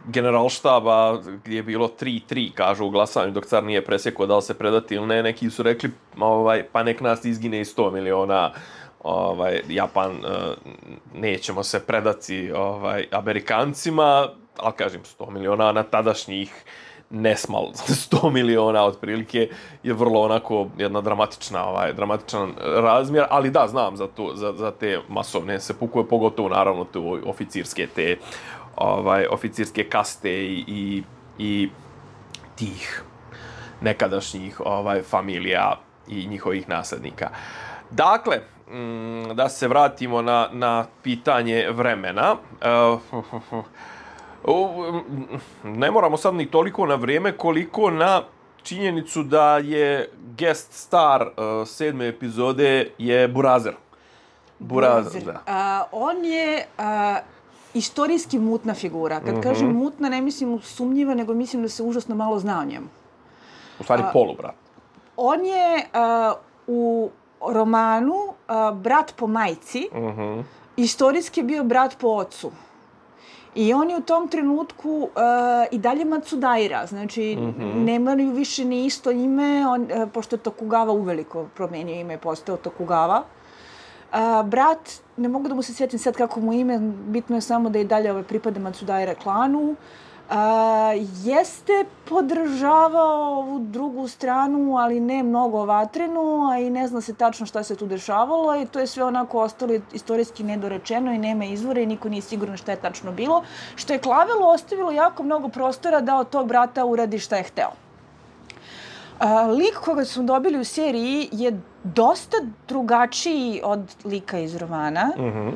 generalštaba gdje je bilo tri tri, kažu u glasanju, dok car nije presjekao da li se predati ili ne, neki su rekli ovaj, pa nek nas izgine i sto miliona ovaj, Japan, e, nećemo se predati ovaj, Amerikancima, ali kažem sto miliona na tadašnjih nesmal sto miliona otprilike je vrlo onako jedna dramatična ovaj dramatičan razmjer, ali da znam za to za, za te masovne sepukue, pogotovo naravno tu oficirske te ovaj oficirske kaste i, i i tih nekadašnjih ovaj familija i njihovih naslednika. Dakle, mm, da se vratimo na na pitanje vremena. Uh, ne moramo sad ni toliko na vrijeme koliko na činjenicu da je guest star uh, sedme epizode je Burazer. Burazer, da. Uh, on je uh, istorijski mutna figura. Kad uh-huh. kažem mutna, ne mislim sumnjiva, nego mislim da se užasno malo zna o njemu. U stvari uh, polubrat. On je uh, u romanu uh, brat po majci, uh-huh. istorijski bio brat po ocu. I on je u tom trenutku uh, i dalje Matsudaira, znači mm-hmm. nemaju više ni isto ime, on, uh, pošto je Tokugawa uveliko promenio ime i postao Tokugawa. Uh, brat, ne mogu da mu se sjetim sad kako mu ime, bitno je samo da i dalje ove pripada Matsudaira klanu. Uh, jeste podržavao ovu drugu stranu, ali ne mnogo vatrenu, a i ne zna se tačno šta se tu dešavalo i to je sve onako ostalo istorijski nedorečeno i nema izvora i niko nije siguran šta je tačno bilo, što je Klavelo ostavilo jako mnogo prostora da od tog brata uradi šta je hteo. Uh, lik koga smo dobili u seriji je dosta drugačiji od lika iz romana. Mhm.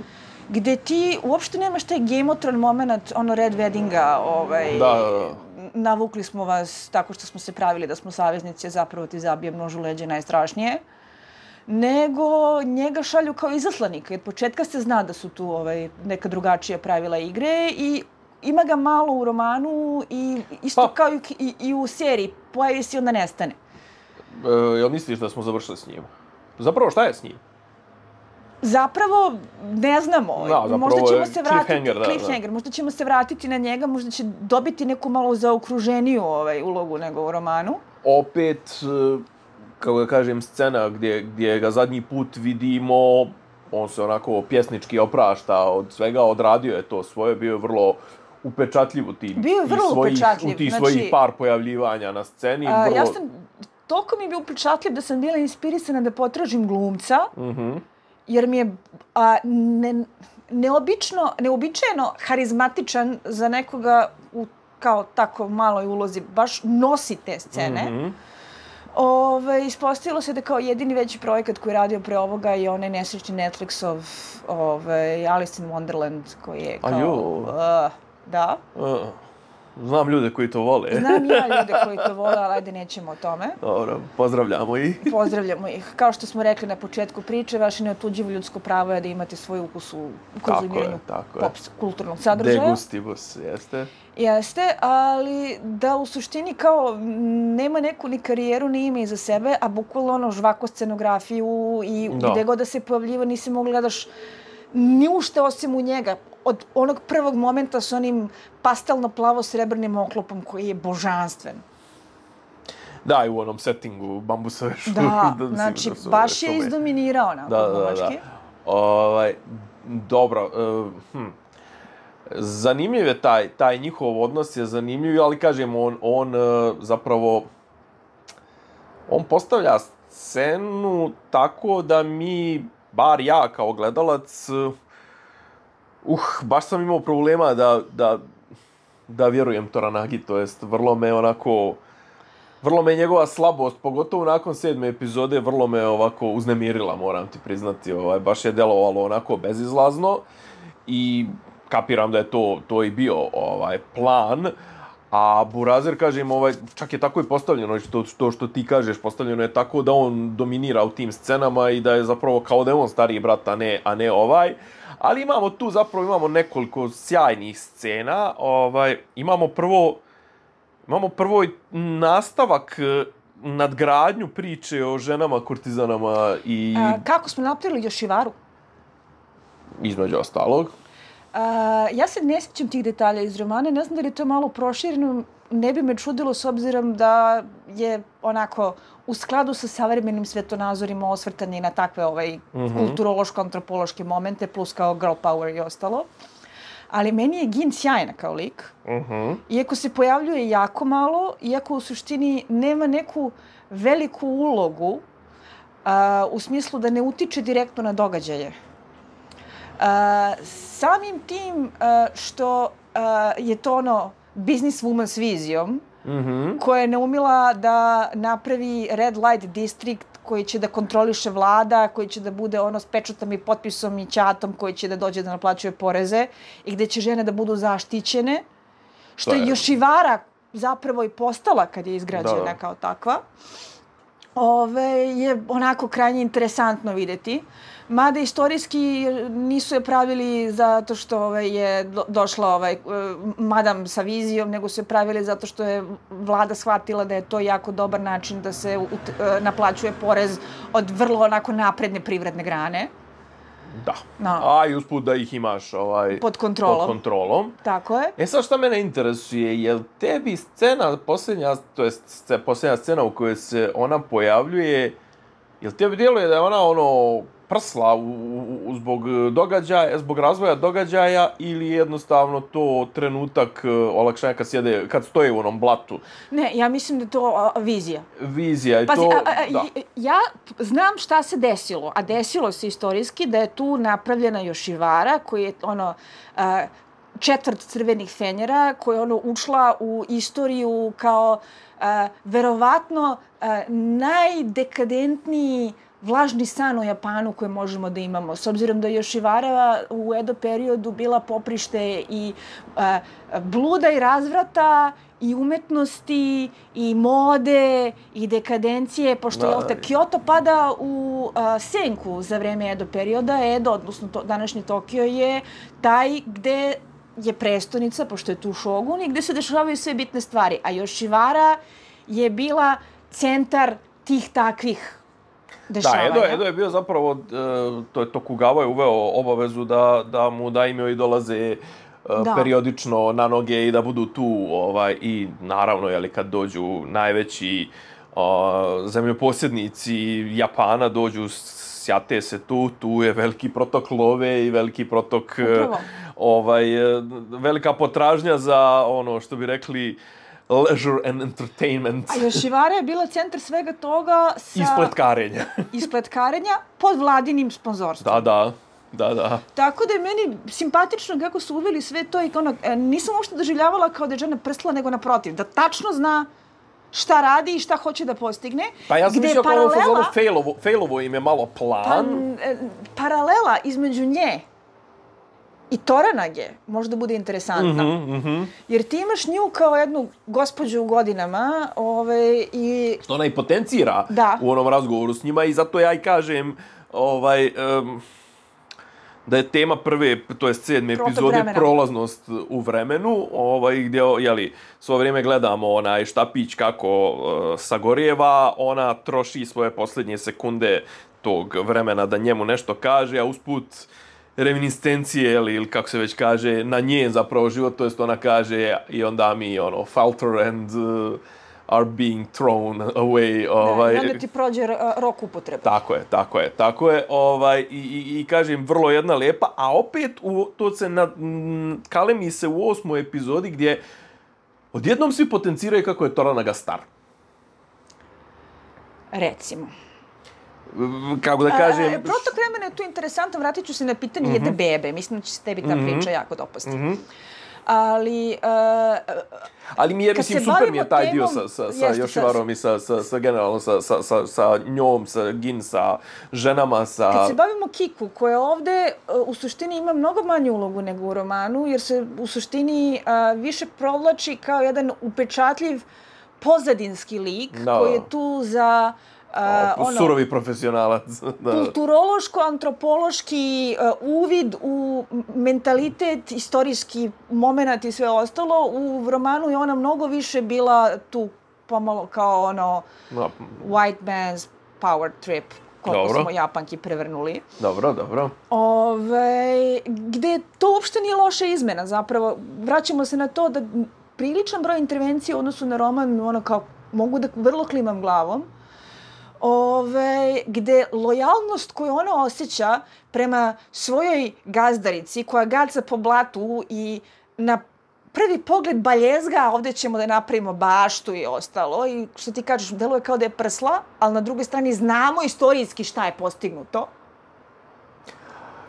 Gde ti uopšte nemaš taj Game-otron moment, ono Red Weddinga, ovaj, da, da, da. navukli smo vas tako što smo se pravili da smo saveznici, a zapravo ti zabije množu leđe najstrašnije. nego njega šalju kao izaslanika. Od početka se zna da su tu ovaj, neka drugačija pravila igre i ima ga malo u romanu i isto Pa. kao i, i, i u seriji. Pojavi se i onda nestane. E, jel misliš da smo završili s njim? Zapravo, šta je s njim? Zapravo, ne znamo. Da, zapravo možda ćemo je se vratiti, cliffhanger, da, cliffhanger, možda ćemo se vratiti na njega, možda će dobiti neku malo zaokruženiju ovaj, ulogu nego u romanu. Opet, e, kako da kažem, scena gdje, gdje ga zadnji put vidimo, on se onako pjesnički oprašta od svega, odradio je to svoje, bio je vrlo upečatljiv u tim, Bio je vrlo svojih, upečatljiv, u tih znači, svojih par pojavljivanja na sceni. A, vrlo... Ja sam, toliko mi je bio upečatljiv da sam bila inspirisana da potražim glumca, Mhm. jer mi je a, ne, neobično, neobičajeno harizmatičan za nekoga u kao tako maloj ulozi, baš nosi te scene. Mhm. Ove, ispostavilo se da kao jedini veći projekat koji je radio pre ovoga je onaj nesrećni Netflixov ove, Alice in Wonderland koji je A kao... jo. Uh, da. Uh, znam ljude koji to vole. Znam ja ljude koji to vole, ali ajde nećemo o tome. Dobro, pozdravljamo ih. Pozdravljamo ih. Kao što smo rekli na početku priče, vaše neotuđivo ljudsko pravo je da imate svoj ukus u konzumiranju tako je. pop kulturnog sadržaja. Degustibus, jeste. Jeste, ali da u suštini kao nema neku ni karijeru ni ime iza sebe, a bukvalno ono žvako scenografiju i Da. gde god da se pojavljiva nisi mogla gledaš ni ušte osim u njega. Od onog prvog momenta s onim pastelno-plavo-srebrnim oklopom koji je božanstven. Da, i u onom settingu bambusove šume. Da, mislim znači da su baš je šume. izdominirao onako Da, da, da. glumački. Ovaj, dobro, uh, hm. Zanimljiv je taj, taj njihov odnos je zanimljiv, ali kažem, on, on uh, zapravo, on postavlja scenu tako da mi, bar ja kao gledalac, uh, baš sam imao problema da, da, da vjerujem Toranagi, to jest vrlo me onako, vrlo me njegova slabost, pogotovo nakon sedme epizode, vrlo me ovako uznemirila, moram ti priznati, ovaj, baš je delovalo onako bezizlazno i kapiram da je to, to i bio ovaj plan, a Burazer, kažem, ovaj, čak je tako i postavljeno, to, to što ti kažeš, postavljeno je tako da on dominira u tim scenama i da je zapravo kao da je on stariji brat, a ne, a ne ovaj. Ali imamo tu zapravo imamo nekoliko sjajnih scena. Ovaj, imamo prvo imamo prvo nastavak nadgradnju priče o ženama kurtizanama i A, kako smo napravili Yoshivaru? između ostalog. Uh, ja se ne sjećam tih detalja iz romana, ne znam da li je to malo prošireno, ne bi me čudilo s obzirom da je onako u skladu sa savremenim svetonazorima osvrtani na takve ovaj, Mhm. kulturološko-antropološke momente, plus kao girl power i ostalo. Ali meni je Gin sjajna kao lik, Mhm. iako se pojavljuje jako malo, iako u suštini nema neku veliku ulogu uh, u smislu da ne utiče direktno na događaje. Uh, samim tim uh, što uh, je to ono business woman s vizijom, Mhm. koja je naumila da napravi red light district koji će da kontroliše vlada, koji će da bude ono s pečatom i potpisom i ćatom, koji će da dođe da naplaćuje poreze i gde će žene da budu zaštićene, što To je je- Yoshivara zapravo i postala kad je izgrađena Da, da. kao takva. Ove, je onako krajnje interesantno videti. Mada istorijski nisu je pravili zato što ovaj, je do, došla ovaj, eh, madam sa vizijom, nego su je pravili zato što je vlada shvatila da je to jako dobar način da se ut, eh, naplaćuje porez od vrlo onako napredne privredne grane. Da. No. A i usput da ih imaš ovaj, Pod kontrolom. pod kontrolom. Tako je. E sad šta mene interesuje, je li tebi scena, posljednja, to jest sce- posljednja scena u kojoj se ona pojavljuje, je li tebi djeluje da je ona ono prsla u, u, u- zbog događaja, zbog razvoja događaja ili jednostavno to trenutak eh, olakšanja kad, sjede, kad stoje u onom blatu? Ne, ja mislim da je to a, vizija. Vizija i Pazi, to... a, a, da. i- ja znam šta se desilo, a desilo se istorijski da je tu napravljena Yoshivara, koji je ono a, četvrt crvenih fenjera, koja je ono ušla u istoriju kao a, verovatno a, najdekadentniji vlažni san u Japanu koje možemo da imamo. S obzirom da je Yoshivara u Edo periodu bila poprište i a, bluda i razvrata i umetnosti, i mode, i dekadencije, pošto Da, jel te, da. Kyoto pada u a, senku za vreme Edo perioda. Edo, odnosno to, današnji Tokio je taj gde je prestonica, pošto je tu šogun, i gde se dešavaju sve bitne stvari. A Yoshiwara je bila centar tih takvih Da, dešavanja. Edo, Edo je bio zapravo, e, to je Tokugawa je uveo obavezu da, da mu daimyoi dolaze e, Da. periodično na noge i da budu tu, ovaj, i naravno, jeli, kad dođu najveći o, zemljoposjednici Japana, dođu, sjate se tu, tu je veliki protok love i veliki protok, e, Upravo. ovaj, e, velika potražnja za ono što bi rekli leisure and entertainment. A Yoshiwara je bila centar svega toga sa Ispletkarenja. ispletkarenja pod vladinim sponzorstvom. Da, da, da, da. Tako da je meni simpatično kako su uveli sve to i ono, e, nisam uopšte doživljavala kao da je žena prstila, nego naprotiv, da tačno zna šta radi i šta hoće da postigne. Pa ja sam gde je mislio kao ono paralela- fazonu failovo, failovo im je malo Pa, plan. e, paralela između nje i Toranage možda bude interesantna. Mhm, mhm. Jer ti imaš nju kao jednu gospođu u godinama, ove, i Što ona i potencira Da. u onom razgovoru s njima i zato ja i kažem ovaj, um, da je tema prve, to je sedme Protok epizode, vremena. prolaznost u vremenu, ovaj, gdje, jeli, svo vrijeme gledamo onaj štapić kako uh, sagorijeva, ona troši svoje posljednje sekunde tog vremena da njemu nešto kaže, a usput reminiscencije, ili, ili kako se već kaže, na njen zapravo život, to jest ona kaže i onda mi, ono, falter and uh, are being thrown away, ovaj, da, i onda ti prođe uh, rok upotrebe. tako je, tako je, tako je, ovaj, i, i, i kažem, vrlo jedna lepa, a opet u, to se na, m, kalemi se u osmoj epizodi gdje odjednom svi potenciraju kako je Toranaga star. Recimo. Kako da kažem... A, protok vremena je tu interesantan, vratit ću se na pitanje mm-hmm. jedne bebe. Mislim da će se tebi ta Mhm. priča jako dopasti. Mhm. Ali, uh, Ali mi je, Kad mislim, se super mi je bavimo taj dio temom- sa, sa, sa jeste, Yoshiwarom i sa, sa, sa generalno, sa, sa, sa, sa njom, sa Gin, sa ženama, sa... kad se bavimo Kiku, koja ovde uh, u suštini ima mnogo manju ulogu nego u romanu, jer se u suštini uh, više provlači kao jedan upečatljiv pozadinski lik, Da. koji je tu za uh, o, ono, surovi profesionalac. Da. kulturološko-antropološki uh, uvid u mentalitet, istorijski moment i sve ostalo. U romanu je ona mnogo više bila tu pomalo kao ono Da. white man's power trip, koliko Dobro. smo Japanki prevrnuli. Dobro, dobro. Ove, gde to uopšte nije loša izmena, zapravo. Vraćamo se na to da priličan broj intervencije u odnosu na roman, ono kao, mogu da vrlo klimam glavom, Ove, gde lojalnost koju ona osjeća prema svojoj gazdarici, koja gaca po blatu i na prvi pogled baljezga, a ovdje ćemo da napravimo baštu i ostalo, i što ti kažeš, deluje kao da je prsla, ali na drugoj strani znamo istorijski šta je postignuto.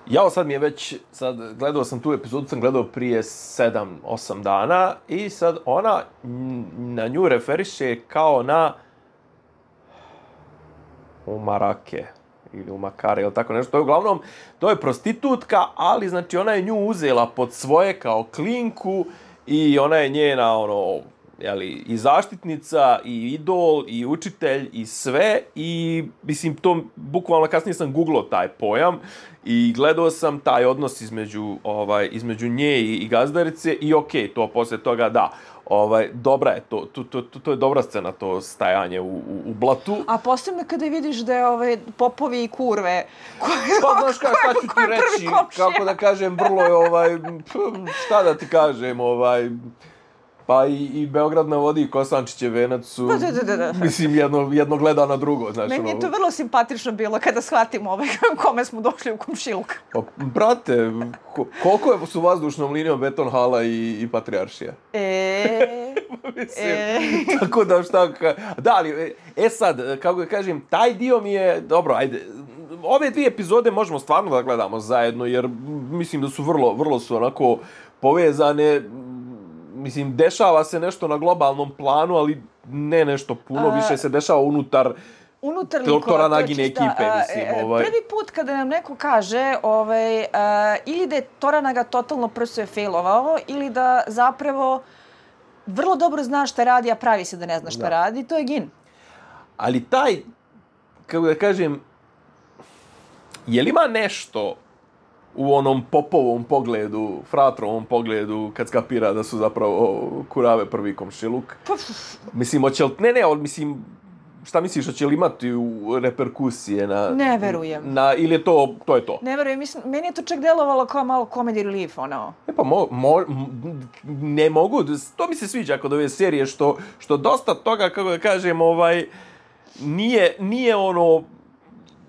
Jao, sad mi je već, sad gledao sam tu epizodu, sam gledao prije sedam, osam dana i sad ona n- na nju referiše kao na umarake ili umakare ili tako nešto. To je uglavnom, to je prostitutka, ali znači ona je nju uzela pod svoje kao klinku i ona je njena ono, jeli, i zaštitnica, i idol, i učitelj, i sve. I, mislim, to bukvalno kasnije sam googlao taj pojam i gledao sam taj odnos između, ovaj, između nje i, i gazdarice i okej, okay, to poslije toga da. Ovaj, dobra je to, to, to, to, to je dobra scena, to stajanje u, u, u blatu. A posebno kada vidiš da je ove popovi i kurve koje, Pa znaš kako, šta ću ti koje prvi reći, komšija. kako da kažem, vrlo je ovaj, šta da ti kažem, ovaj, pa i, i Beograd na vodi i Kosančićev venac su, Da, da, da, da. mislim, jedno, jedno gleda na drugo, znaš, Meni je ono. to vrlo simpatično bilo kada shvatimo ove kome smo došli u komšiluk. Pa, brate, ko, koliko je su vazdušnom linijom Beton Hala i, i Patrijaršija? E, Mislim, e. tako da šta, ka- da, ali, e sad, kako da kažem, taj dio mi je, dobro, ajde, ove dvije epizode možemo stvarno da gledamo zajedno, jer mislim da su vrlo, vrlo su onako povezane, mislim, dešava se nešto na globalnom planu, ali ne nešto puno, A, više se dešava unutar unutar To- likova, Toranagine to je čista, ekipe, a, mislim, e, ovaj. Prvi put kada nam neko kaže ovaj, a, ili da je Toranaga totalno prso je failovao, ili da zapravo vrlo dobro zna šta radi, a pravi se da ne zna šta Da. radi, to je gin. Ali taj, kako da kažem, je li ima nešto u onom popovom pogledu, fratrovom pogledu, kad skapira da su zapravo kurave prvi komšiluk? Mislim, hoće li, ne, ne, ali mislim, šta misliš, hoće li imati u reperkusije na... Ne verujem. Na, ili je to, to je to? Ne verujem, mislim, meni je to čak delovalo kao malo comedy relief, ono. E pa, mo, mo, ne mogu, to mi se sviđa kod ove serije, što, što dosta toga, kako da kažem, ovaj, nije, nije ono,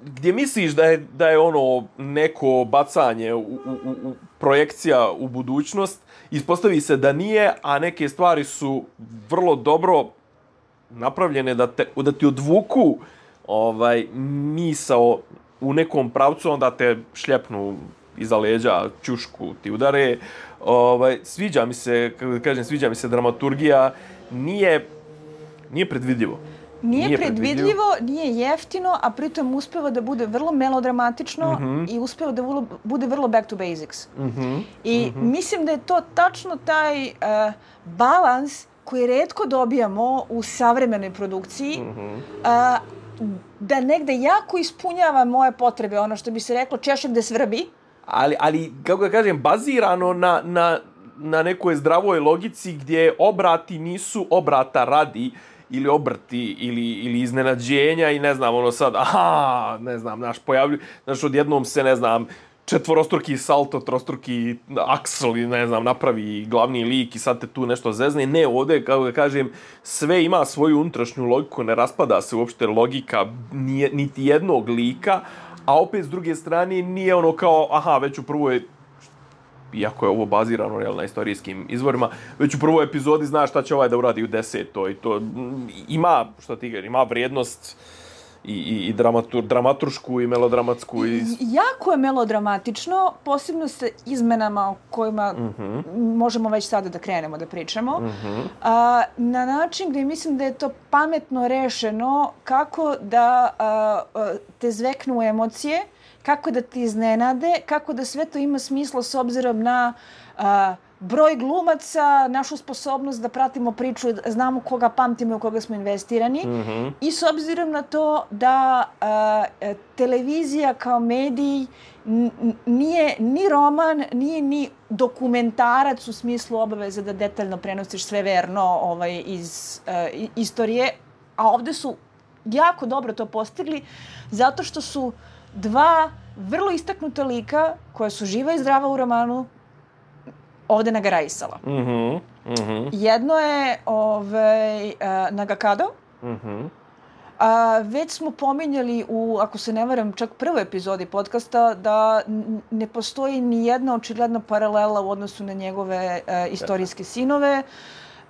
gdje misliš da je, da je ono neko bacanje, u, u, u, projekcija u budućnost, ispostavi se da nije, a neke stvari su vrlo dobro napravljene da, te, da ti odvuku ovaj, misao u nekom pravcu, onda te šljepnu iza leđa, ćušku ti udare. Ovaj, sviđa mi se, kako da kažem, sviđa mi se dramaturgija, nije, nije predvidljivo. Nije, nije predvidljivo, predvidljivo, nije jeftino, a pritom uspeva da bude vrlo melodramatično mm-hmm. i uspeva da vrlo, bude vrlo back to basics. Mm-hmm. I mm-hmm. mislim da je to tačno taj uh, balans koji retko dobijamo u savremenoj produkciji, mm-hmm. uh, da negde jako ispunjava moje potrebe, ono što bi se reklo češem gde svrbi. Ali, ali kako da kažem, bazirano na, na, na nekoj zdravoj logici gdje obrati nisu obrata radi, ili obrti, ili, ili iznenađenja i ne znam, ono sad, aha, ne znam, naš pojavlju, znaš, odjednom se, ne znam, četvorostruki salto, trostruki aksel i ne znam, napravi glavni lik i sad te tu nešto zezne. Ne, ovdje, kako da kažem, sve ima svoju unutrašnju logiku, ne raspada se uopšte logika nije, niti jednog lika, a opet s druge strane nije ono kao, aha, već u prvoj, iako je ovo bazirano jel, na istorijskim izvorima, već u prvoj epizodi znaš šta će ovaj da uradi u desetoj. I to ima, što ti ima vrijednost i, i, i dramatur, dramaturšku i melodramatsku. I... Jako je melodramatično, posebno sa izmenama o kojima mm-hmm. možemo već sada da krenemo da pričamo. Mm-hmm. A, na način gdje mislim da je to pametno rešeno kako da a, a, te zveknu emocije, kako da ti iznenade, kako da sve to ima smisla s obzirom na a, broj glumaca, našu sposobnost da pratimo priču, znamo koga pamtimo i u koga smo investirani. Mm-hmm. I s obzirom na to da a, televizija kao medij n- nije ni roman, nije ni dokumentarac u smislu obaveze da detaljno prenosiš sve verno ovaj, iz a, istorije, a ovdje su jako dobro to postigli zato što su dva vrlo istaknuta lika koja su živa i zdrava u romanu ovdje nagarajsala. Mm-hmm. Mm-hmm. Jedno je ovaj, uh, Nagakado. Mm-hmm. A, već smo pominjali u, ako se ne varam, čak prvoj epizodi podcasta da n- ne postoji ni jedna očigledna paralela u odnosu na njegove uh, istorijske sinove.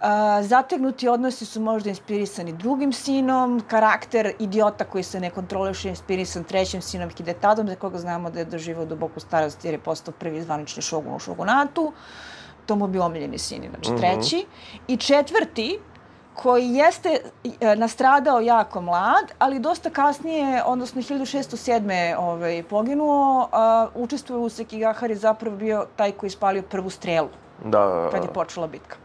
Uh, zategnuti odnosi su možda inspirisani drugim sinom, karakter idiota koji se ne kontroliše inspirisan trećim sinom Hidetadom, za koga znamo da je doživao duboku starost jer je postao prvi zvanični šogun u šogunatu. To mu bi omiljeni sin, znači mm-hmm. treći. I četvrti, koji jeste nastradao jako mlad, ali dosta kasnije, odnosno hiljadu šesto sedme ovaj, poginuo, uh, učestvuje u Sekigahari, zapravo bio taj koji spalio prvu strelu da. kad je počela bitka.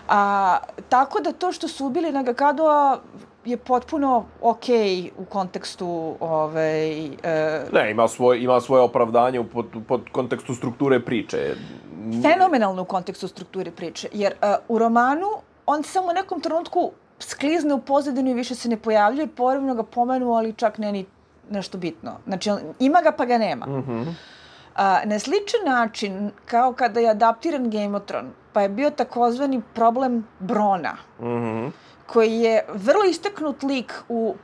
A, tako da to što su ubili Nagakadoa je potpuno okej u kontekstu ovaj, e... Ne, ima svoje, ima svoje opravdanje pod, pod kontekstu strukture priče. Fenomenalno u kontekstu strukture priče, jer uh, u romanu on samo u nekom trenutku sklizne u pozadinu i više se ne pojavljuje, povremeno ga pomenu, ali čak ne ni nešto bitno. Znači, on, ima ga pa ga nema. Mm-hmm. A, na sličan način, kao kada je adaptiran Game of Thrones, pa je bio takozvani problem Brona, mm-hmm. koji je vrlo istaknut lik u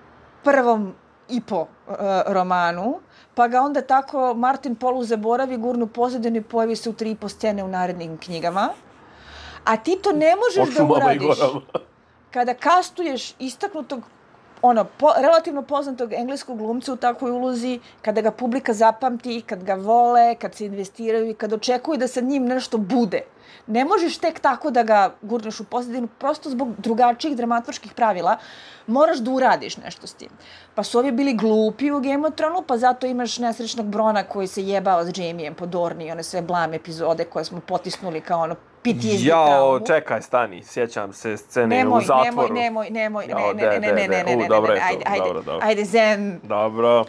prvom i po uh, romanu, pa ga onda tako Martin Polu zaboravi, gurnu pozadinu i pojavi se u tri i po scene u narednim knjigama. A ti to ne možeš da uradiš kada kastuješ istaknutog, ono, po, relativno poznatog engleskog glumca u takvoj ulozi, kada ga publika zapamti, kad ga vole, kad se investiraju i kad očekuju da sa njim nešto bude. Ne možeš tek tako da ga gurneš u pozadinu, prosto zbog drugačijih dramaturških pravila moraš da uradiš nešto s tim. Pa su ovi bili glupi u Game of Thrones, pa zato imaš nesrećnog Brona koji se jebao s Jaimejem po Dorni i one sve blam epizode koje smo potisnuli kao ono P T S D Jao, traumu. čekaj, stani, sjećam se scene Nemoj, u zatvoru. nemoj, nemoj, nemoj, Jao, ne, ne, ne, ne, ne, ne, ne, U, dobro je ne, to, ajde, ajde, dobro, dobro. ajde, zen. Dobro.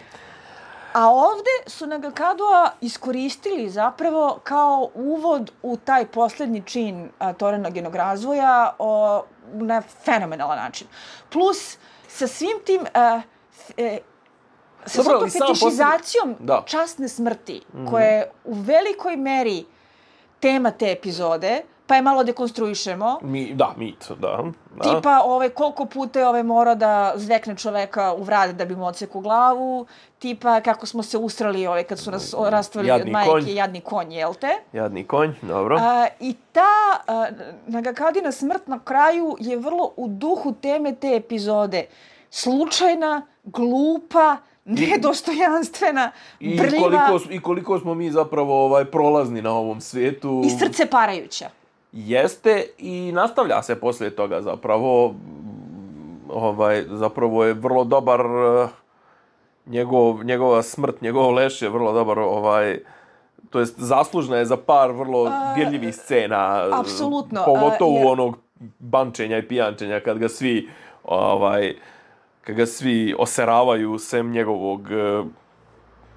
A ovde su Nagakadua iskoristili zapravo kao uvod u taj posljednji čin a, Torenaginog razvoja o, na fenomenalan način. Plus, sa svim tim, a, f, e, sa Dobro, svom i sam fetišizacijom posljednji- časne smrti, mm-hmm. koja je u velikoj meri tema te epizode, pa je malo dekonstruišemo. Mi, da, mit, da. da. Tipa, ovaj, koliko puta je ovaj morao da zvekne čoveka u vrat da bi mu odseku glavu. Tipa, kako smo se usrali ovaj, kad su nas rastvali od Jadni majke, konj. jadni konj, jel te? Jadni konj, dobro. A, I ta a, Nagakadina smrt na kraju je vrlo u duhu teme te epizode. Slučajna, glupa, nedostojanstvena, I brljiva koliko, I koliko smo mi zapravo ovaj, prolazni na ovom svijetu. i srce parajuća. Jeste i nastavlja se poslije toga zapravo. Ovaj, zapravo je vrlo dobar uh, njegov, njegova smrt, njegov leš je vrlo dobar, ovaj, to jest zaslužna je za par vrlo dirljivih scena. Apsolutno. Pogotovo Uh, jer... onog bančenja i pijančenja kad ga svi ovaj, kad ga svi oseravaju sem njegovog uh,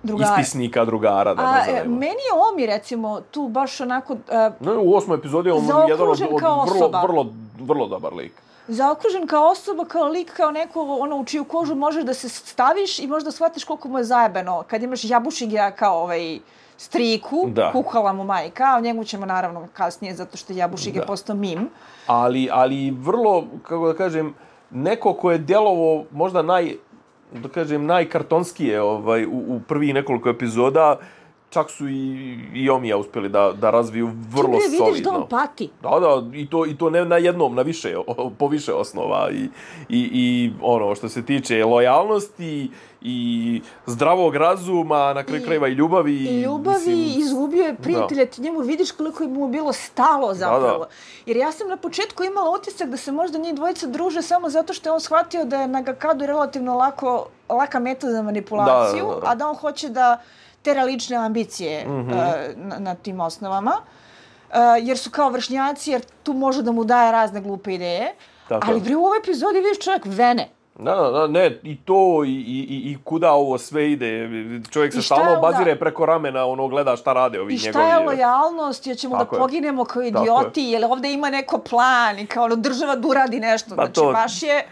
Drugara. ispisnika, drugara, da nazovemo. Meni je Omi, recimo, tu baš onako... Uh, no, u osmoj epizodi je on jedan od, od kao vrlo, osoba. vrlo, vrlo dobar lik. Zaokružen kao osoba, kao lik, kao neko ono, u čiju kožu možeš da se staviš i možda shvatiš koliko mu je zajebano. Kad imaš Jabušiga kao ovaj striku, da. kuhala mu majka, o njemu ćemo naravno kasnije, zato što Jabušig je postao mim. Ali, ali vrlo, kako da kažem, neko ko je djelovo možda naj, da kažem, najkartonskije ovaj, u, u prvih nekoliko epizoda, čak su i, i Omija uspjeli da, da razviju vrlo solidno. Ti solidno. vidiš da on pati. Da, da, i to, i to ne na jednom, na više, po više osnova. I, i, i ono, što se tiče lojalnosti i zdravog razuma, na kraju krajeva i ljubavi. I ljubavi, mislim, izgubio je prijatelja, ti njemu vidiš koliko je mu bilo stalo zapravo. Da, da. Jer ja sam na početku imala utisak da se možda njih dvojica druže samo zato što je on shvatio da je Nagakadu relativno lako, laka meta za manipulaciju, da, da, da. a da on hoće da tera lične ambicije mm-hmm. uh, na, na tim osnovama. Uh, jer su kao vršnjaci, jer tu može da mu daje razne glupe ideje. Tako. Ali bre, u ovoj epizodi vidiš čovjek vene. Da, da, ne, i to, i, i, i kuda ovo sve ide. Čovjek se stalno bazire preko ramena, ono, gleda šta rade ovi njegovi. I šta njegovi, je lojalnost, jer ćemo da poginemo kao idioti, jer ovdje ima neko plan i kao ono, država da uradi nešto. Pa znači, to... baš je...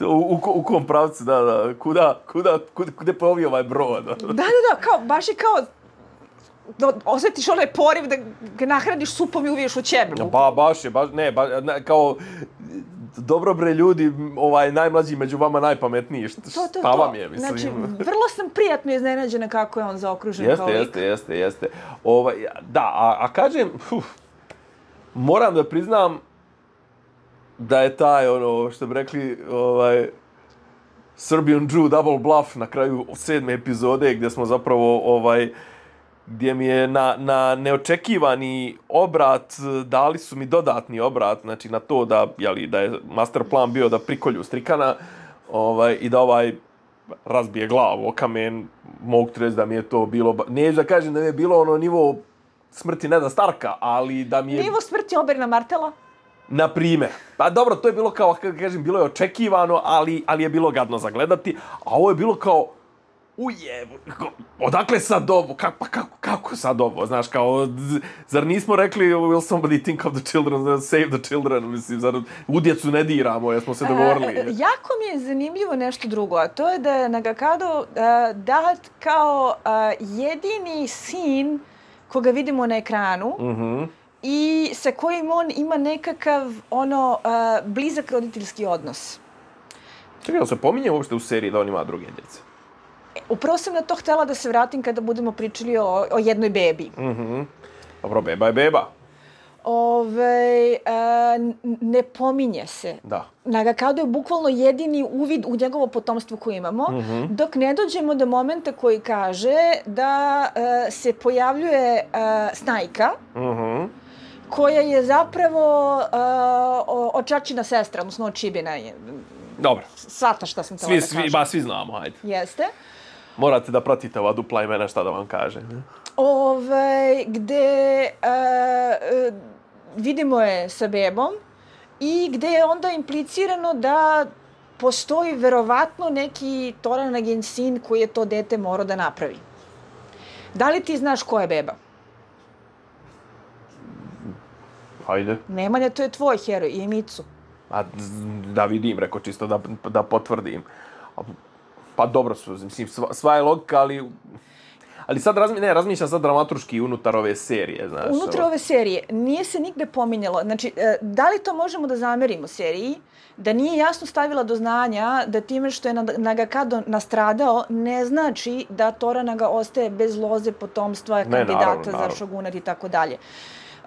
U, u, u kom pravcu, da, da, kuda, kuda, kuda, kuda plovi ovaj brod. Da, da, da, kao, baš je kao, da osjetiš onaj poriv da ga nahraniš supom i uviješ u ćebe. Ba, baš je, baš, ne, ba, ne, kao, dobro bre ljudi, ovaj, najmlađi među vama najpametniji, šta, to, to, šta to. vam je, mislim. Znači, vrlo sam prijatno iznenađena kako je on zaokružen jeste, kao lik. Jeste, jeste, jeste. Ovaj, da, a, a kažem, uf, moram da priznam, da je taj, ono, što bi rekli, ovaj, Serbian Jew double bluff na kraju sedme epizode, gdje smo zapravo, ovaj, gdje mi je na, na neočekivani obrat, dali su mi dodatni obrat, znači na to da, jeli, da je master plan bio da prikolju Strikana, ovaj, i da ovaj razbije glavu o kamen, mogu ti reći da mi je to bilo, neću da kažem da mi je bilo ono nivo smrti Neda Starka, ali da mi je... Nivo smrti Oberina Martela? Na primjer. Pa dobro, to je bilo kao, kako kažem, bilo je očekivano, ali, ali je bilo gadno zagledati. A ovo je bilo kao, uje, odakle sad ovo? Kako, pa kako, kako sad ovo? Znaš, kao, zar nismo rekli, will somebody think of the children, save the children? Mislim, zar u djecu ne diramo, jer smo se dogovorili. A, jako mi je zanimljivo nešto drugo, a to je da je Nagakado uh, dat kao uh, jedini sin koga vidimo na ekranu, Mhm. i sa kojim on ima nekakav ono uh, blizak roditeljski odnos. Čekaj, ali se pominje uopšte u seriji da on ima druge djece? Upravo sam na to htjela da se vratim kada budemo pričali o, o jednoj bebi. Mhm. Dobro, beba je beba. Ove, uh, ne pominje se. Da. Nagakado je bukvalno jedini uvid u njegovo potomstvo koje imamo, mm-hmm. dok ne dođemo do momenta koji kaže da uh, se pojavljuje uh, Snajka, Mhm. koja je zapravo uh, očačina sestra, odnosno očibina. Dobro. Svata šta sam to svi, da svi, kažem. ba, svi znamo, ajde. Jeste. Morate da pratite ova dupla imena šta da vam kaže. Ove, gde uh, uh, vidimo je sa bebom i gde je onda implicirano da postoji verovatno neki Toranagin sin koji je to dete morao da napravi. Da li ti znaš ko je beba? Ajde. Nemanja, to je tvoj heroj, i Micu. A, da vidim, reko čisto da, da potvrdim. Pa dobro, mislim, sva, sva je logika, ali... Ali sad razmi, ne, razmišljam sad dramaturški unutar ove serije, znaš. Unutar ove serije nije se nigde pominjalo. Znači, da li to možemo da zamerimo seriji? Da nije jasno stavila do znanja da time što je Nagakado nastradao ne znači da Toranaga ostaje bez loze potomstva, kandidata ne, naravno, naravno. za šogunat i tako dalje.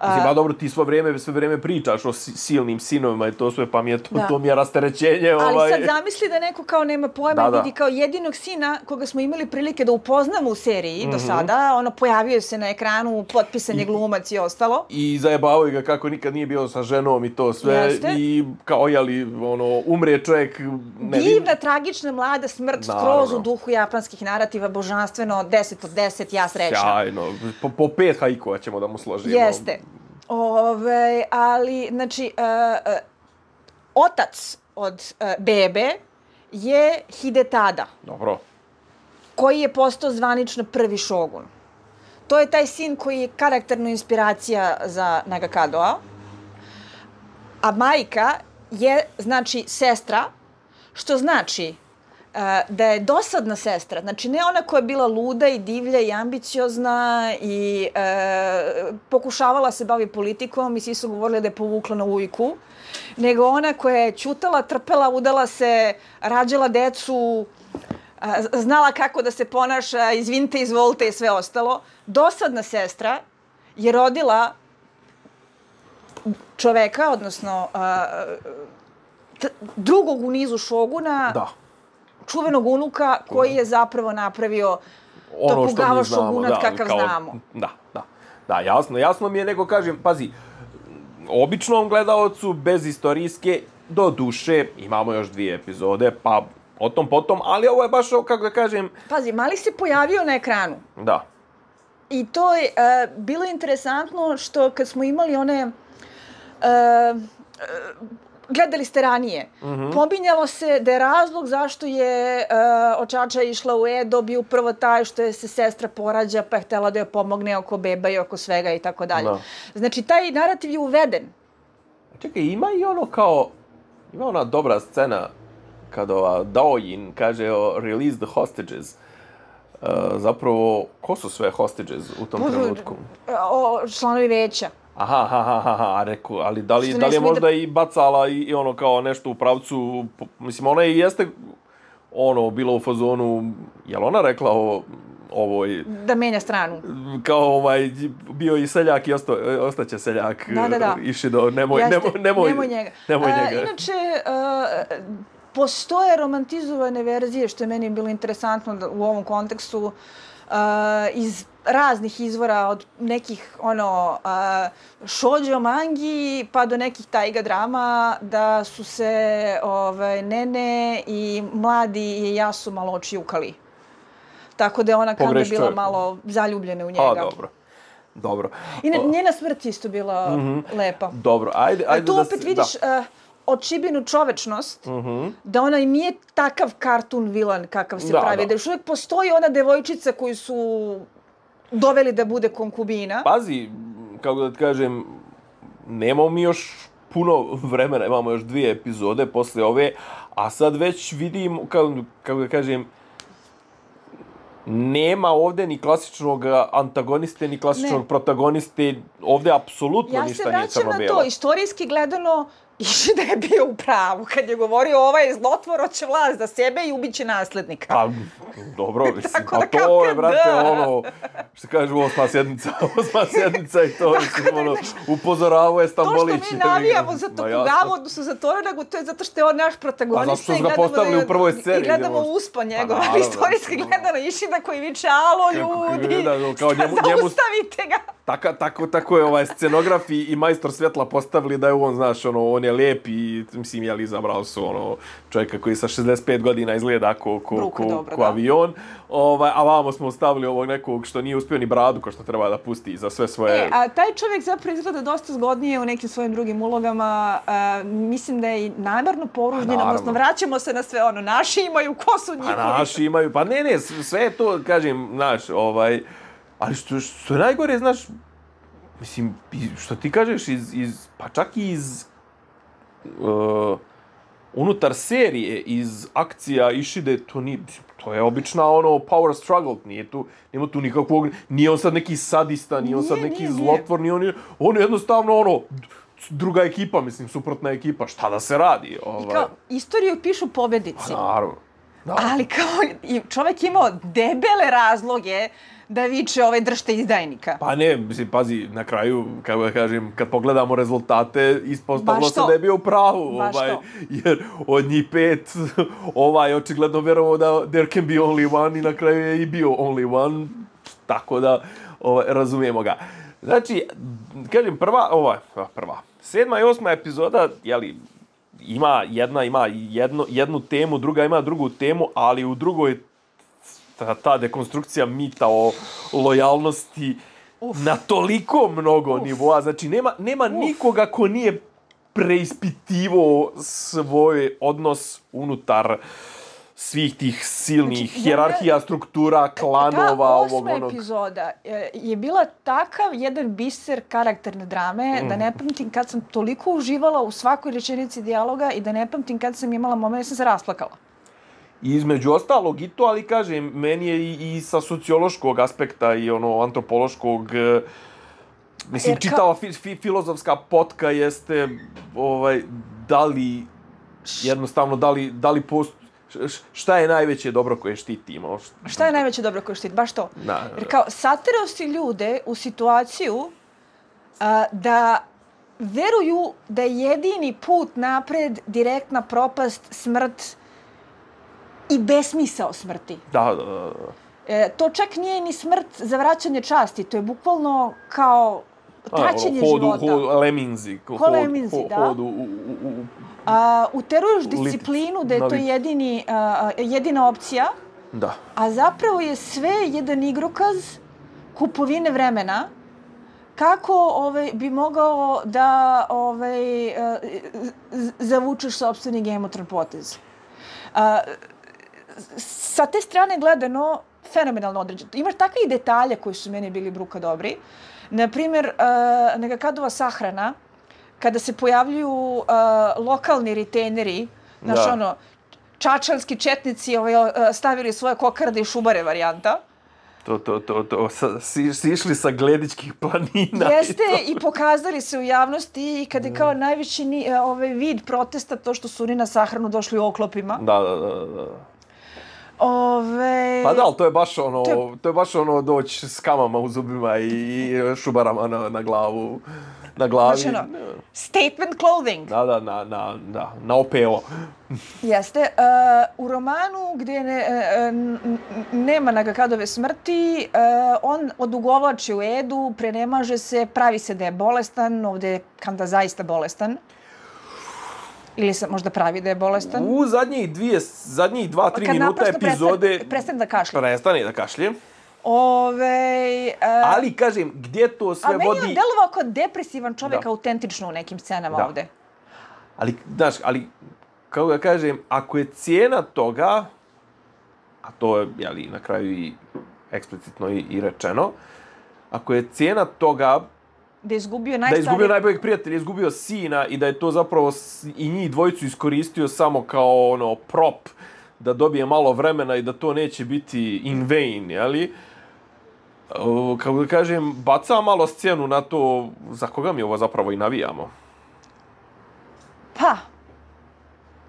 Mislim, ba dobro, ti svo vrijeme, sve vrijeme pričaš o silnim sinovima i to sve, pa mi je to, to mi je rasterećenje. Ali ovaj... sad zamisli da neko kao nema pojma i vidi kao jedinog sina koga smo imali prilike da upoznamo u seriji mm-hmm. do sada, ono, pojavio se na ekranu, potpisan je glumac i ostalo. I zajebavaju ga kako nikad nije bio sa ženom i to sve. Jeste. I kao, jeli, ono, umre čovjek... Ne divna, vid... tragična, mlada smrt, skroz u duhu japanskih narativa, božanstveno, deset od deset, ja srećna. Sjajno, po, po pet haikova ćemo da mu složimo. Jeste. Ove, ali, znači, uh, uh, otac od uh, bebe je Hidetada. Dobro. Koji je postao zvanično prvi šogun. To je taj sin koji je karakterna inspiracija za Nagakadoa. A majka je, znači, sestra, što znači uh, da je dosadna sestra. Znači, ne ona koja je bila luda i divlja i ambiciozna i uh, pokušavala se bavi politikom i svi su govorili da je povukla na ujku, nego ona koja je ćutala, trpela, udala se, rađala decu, uh, znala kako da se ponaša, izvinite, izvolite i sve ostalo. Dosadna sestra je rodila čoveka, odnosno uh, t- drugog u nizu šoguna, da. čuvenog unuka koji je zapravo napravio ono Tokugava šogunat da, kakav kao, znamo. Da, da, da, jasno. Jasno mi je, nego kažem, pazi, običnom gledaocu, bez istorijske, do duše, imamo još dvije epizode, pa o tom potom, ali ovo je baš, kako da kažem... Pazi, mali se pojavio na ekranu. Da. I to je uh, bilo interesantno što kad smo imali one... Uh, uh, gledali ste ranije. Mm-hmm. Pominjalo se da je razlog zašto je uh, očača išla u Edo bio prvo taj što je se sestra porađa pa je htjela da joj pomogne oko beba i oko svega i tako dalje. Znači, taj narativ je uveden. Čekaj, ima i ono kao... Ima ona dobra scena kada ova Daojin kaže o release the hostages. Uh, zapravo, ko su sve hostages u tom Božu, trenutku? O, članovi veća. Aha, aha, aha, aha, reku, ali da li, da li je možda da... i bacala i, i ono kao nešto u pravcu, mislim, ona i jeste ono, bilo u fazonu, je li ona rekla o ovoj... Da menja stranu. Kao ovaj, bio i seljak i osta, ostaće seljak. Da, da, da. Išido, nemoj, nemoj, nemoj, nemoj njega. Nemoj njega. Uh, inače, uh, postoje romantizovane verzije, što je meni bilo interesantno da, u ovom kontekstu, uh, iz raznih izvora, od nekih ono uh, shoujo mangi pa do nekih taiga drama, da su se ovaj, Nene i mladi i Jasu malo očijukali. Tako da je ona kao bila malo zaljubljena u njega. A, dobro. Dobro. I njena smrt isto bila mm-hmm. lepa. Dobro, ajde, ajde tu da... opet vidiš uh, očibinu čovečnost, mm-hmm. da ona i nije takav kartun vilan kakav se da, pravi. Da. da još uvijek postoji ona devojčica koju su doveli da bude konkubina. Pazi, kako da ti kažem, nemamo mi još puno vremena, imamo još dvije epizode posle ove, a sad već vidim, kako, kako da kažem, nema ovdje ni klasičnog antagoniste, ni klasičnog ne. protagoniste. Ovdje apsolutno ja ništa nije crno-bijelo. Ja se vraćam na to. Istorijski gledano, Išida je bio u pravu kad je govorio ovaj zlotvor hoće vlast za sebe i ubiće naslednika. Pa, dobro, mislim, a to je, brate, ono, što kažu, osma sjednica, osma sjednica i to, mislim, ono, upozoravao je Stambolić. To što mi navijamo za Tokugavu, odnosno za Toragu, to je zato što je on naš protagonista. A zato što su ga postavili u prvoj sceni. I gledamo uspon njegova, ali istorijski gledano Išida koji viče, alo ljudi, kao njemu, njemu, zaustavite ga. Taka, tako, tako je ovaj scenograf i, i majstor svjetla postavili da je on, znaš, ono, on je lijep i, mislim, jel, izabrao su, ono, čovjeka koji sa šezdeset pet godina izgleda ko, ko, Bruka, ko, dobro, ko da. avion, ovaj, a vamo smo stavili ovog nekog što nije uspio ni bradu, ko što treba da pusti za sve svoje... E, a taj čovjek zapravo izgleda dosta zgodnije u nekim svojim drugim ulogama. A, mislim da je i namjerno poružnjen, odnosno vraćamo se na sve ono, naši imaju, ko su njihovi? Pa naši imaju, pa ne, ne, sve je to, kažem, znaš, ovaj, ali što, što je najgore, znaš, mislim, što ti kažeš, iz, iz, pa čak i iz uh, unutar serije, iz akcija Ishide, to nije, to je obična ono power struggle, nije tu, nema tu nikakvog, nije on sad neki sadista, nije on sad neki nije, zlotvor, nije on, on je jednostavno ono, druga ekipa, mislim, suprotna ekipa, šta da se radi? Ovaj. I kao, istoriju pišu pobednici. Pa naravno. Da. Ali kao, čovjek imao debele razloge da viče ovaj držte izdajnika. Pa ne, mislim, pazi, na kraju, kako da kažem, kad pogledamo rezultate, ispostavilo se da je bio u pravu. Baš ovaj, to. jer od njih pet, ovaj, očigledno vjerovao da there can be only one i na kraju je i bio only one, tako da ovaj, razumijemo ga. Znači, kažem, prva, ovaj, prva, sedma i osma epizoda, jeli, ima jedna, ima jedno, jednu temu, druga ima drugu temu, ali u drugoj ta, ta dekonstrukcija mita o lojalnosti Uf. na toliko mnogo Uf. nivoa. Znači, nema, nema nikoga ko nije preispitivo svoj odnos unutar svih tih silnih znači, hijerarhija, ja, struktura, klanova, ovog onog. Ta osma epizoda je bila takav jedan biser karakterne drame, mm. da ne pamtim kad sam toliko uživala u svakoj rečenici dijaloga i da ne pamtim kad sam imala moment da sam se rasplakala. I između ostalog i to, ali kažem, meni je i, i sa sociološkog aspekta i ono antropološkog, mislim, ka... čitava fi, fi, filozofska potka jeste, ovaj, da li, jednostavno, da li, da li post, šta je najveće dobro koje štitimo? Šta je najveće dobro koje štiti? Baš to. Da, jer kao, saterao si ljude u situaciju uh, da veruju da je jedini put napred direktna propast, smrt i besmisao smrti. Da, da, da. E, to čak nije ni smrt za vraćanje časti, to je bukvalno kao traćenje hodu, života. Hodu, leminzi. Ko leminzi, hod, da. Hodu, u, u, u, a, uteruješ disciplinu da je to jedini, a, jedina opcija, da. A zapravo je sve jedan igrokaz kupovine vremena kako ovaj, bi mogao da ovaj, zavučeš sopstveni gemotron potez. A, sa te strane gledano, fenomenalno određeno. Imaš takve i detalje koji su meni bili bruka dobri. Naprimjer, uh, Nagakadova sahrana, kada se pojavljuju uh, lokalni retaineri, znaš da. ono, čačanski četnici ovaj, uh, stavili svoje kokarde i šubare varijanta. To, to, to, to, sa, si, si išli sa Gledičkih planina. Jeste, i, i pokazali se u javnosti i kada je kao najveći ni, ovaj, vid protesta to što su oni na sahranu došli u oklopima. Da, da, da, da. Ove... Pa da, ali to je baš ono, to je, to je baš ono doći s kamama u zubima i, i šubarama na, na glavu, na glavi. Znači ono, statement clothing. Da, da, na, na, da, na O P O. Jeste. Uh, u romanu gdje ne, uh, nema Nagakadove smrti, uh, on odugovlači u Edu, prenemaže se, pravi se da je bolestan, ovdje je Kanda zaista bolestan. Ili se možda pravi da je bolestan. U zadnjih dvije, zadnjih dva, tri minuta epizode... Prestane, prestane da kašlje. Prestane da kašlje. Ove, uh, Ali, kažem, gdje to sve vodi... A meni je delovao kao depresivan čovjek da. autentično u nekim scenama da. ovdje. Ali, znaš, ali, kako da kažem, ako je cijena toga, a to je, jeli, na kraju i eksplicitno i, i rečeno, ako je cijena toga da je izgubio najstariji... Da je izgubio najboljeg prijatelja, izgubio sina i da je to zapravo i njih dvojicu iskoristio samo kao ono prop da dobije malo vremena i da to neće biti in vain, jeli? Kako da kažem, baca malo scenu na to za koga mi ovo zapravo i navijamo. Pa.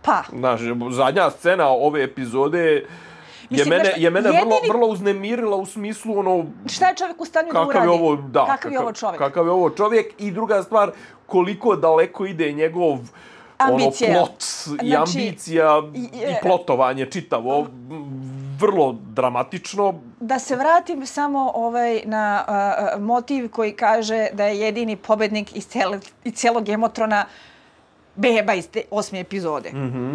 Pa. Znaš, zadnja scena ove epizode... Je mene, je mene jedini... vrlo, vrlo uznemirila u smislu ono... Šta je čovjek u stanju da uradi? Je ovo, da, kakav kakav je ovo čovjek? Kakav je ovo čovjek i druga stvar, koliko daleko ide njegov ambicija. Ono, plot znači, i ambicija i, i, i plotovanje čitavo. vrlo dramatično. Da se vratim samo ovaj, na uh, motiv koji kaže da je jedini pobednik iz, cele, iz celog Emotrona beba iz te osme epizode. Mhm.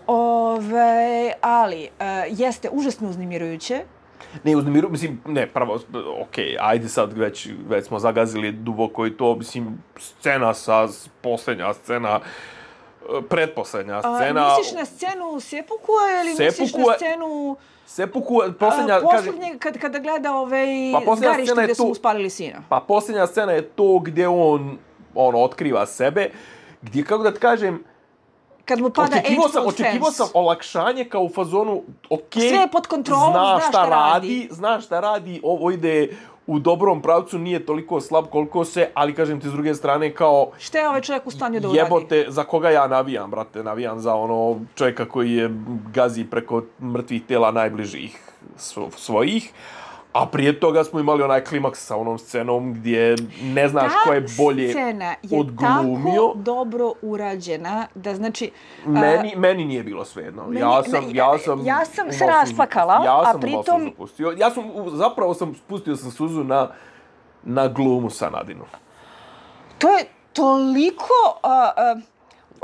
Ove, ali, uh, jeste užasno uznemirujuće. Ne, uznemiru, mislim, ne, prvo, okej, okay, ajde sad, već, već smo zagazili duboko i to, mislim, scena sa, posljednja scena, pretposlednja scena. A, misliš na scenu Sepukua ili Sepukua, misliš na scenu... Sepukua, posljednja... A, posljednje, kad, kada gleda ovaj pa zgarište gdje su to, mu spalili sina. Pa posljednja scena je to gdje on, ono, otkriva sebe, gdje, kako da ti kažem, kad mu pada očekivao sam, H-Fold očekivao fence. sam olakšanje kao u fazonu, okej, sve je pod kontrolom, zna zna šta, šta radi. radi, zna šta radi, ovo ide u dobrom pravcu, nije toliko slab koliko se, ali kažem ti s druge strane kao... Šta je ovaj čovjek u stanju da uradi? Jebote, za koga ja navijam, brate, navijam za ono čovjeka koji je gazi preko mrtvih tela najbližih svojih. A prije toga smo imali onaj klimaks sa onom scenom gdje ne znaš ta ko je bolje scena je odglumio. tako dobro urađena da znači... Meni, uh, meni nije bilo svejedno. Meni, ja sam, ne, ja sam, ja sam se rasplakala, ja a sam pritom... pustio. Ja sam, zapravo sam spustio sam suzu na, na glumu sa Nadinu. To je toliko... Uh, uh,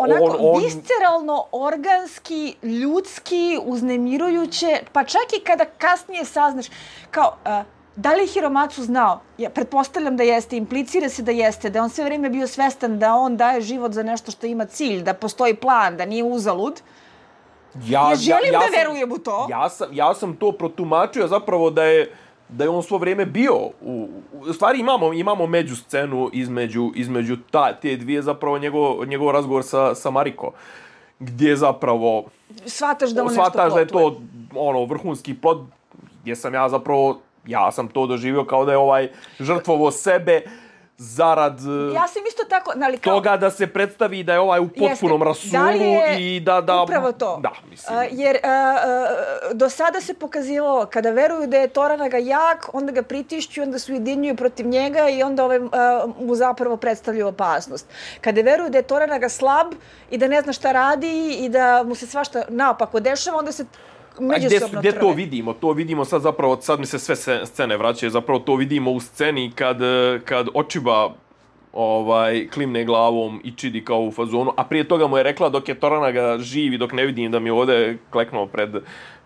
onako on, on... visceralno, organski, ljudski, uznemirujuće, pa čak i kada kasnije saznaš, kao, uh, da li je Hiromatsu znao? Ja pretpostavljam da jeste, implicira se da jeste, da on sve vrijeme bio svestan da on daje život za nešto što ima cilj, da postoji plan, da nije uzalud. Ja, ja želim ja, ja da sam, verujem u to. Ja sam, ja sam to protumačio zapravo da je da je on svo vrijeme bio u, u stvari imamo imamo među scenu između između ta te dvije zapravo njegov njegov razgovor sa sa Mariko gdje zapravo shvataš da on shvataš nešto da je to ono vrhunski plod gdje sam ja zapravo ja sam to doživio kao da je ovaj žrtvovo sebe zarad ja sam isto tako, ali kao... toga da se predstavi da je ovaj u potpunom rasulu da i da... da upravo to. Da, mislim. Uh, jer uh, uh, do sada se pokazivalo, kada veruju da je Toranaga jak, onda ga pritišću, onda se ujedinjuju protiv njega i onda ovaj, uh, mu zapravo predstavljaju opasnost. Kada veruju da je Toranaga slab i da ne zna šta radi i da mu se svašta naopako dešava, onda se... Gdje, gdje to vidimo? To vidimo sad zapravo, sad mi se sve scene vraćaju, zapravo to vidimo u sceni kad, kad Ochiba ovaj, klimne glavom i čidi kao u fazonu, a prije toga mu je rekla dok je Toranaga živi, dok ne vidim da mi ovdje kleknuo pred,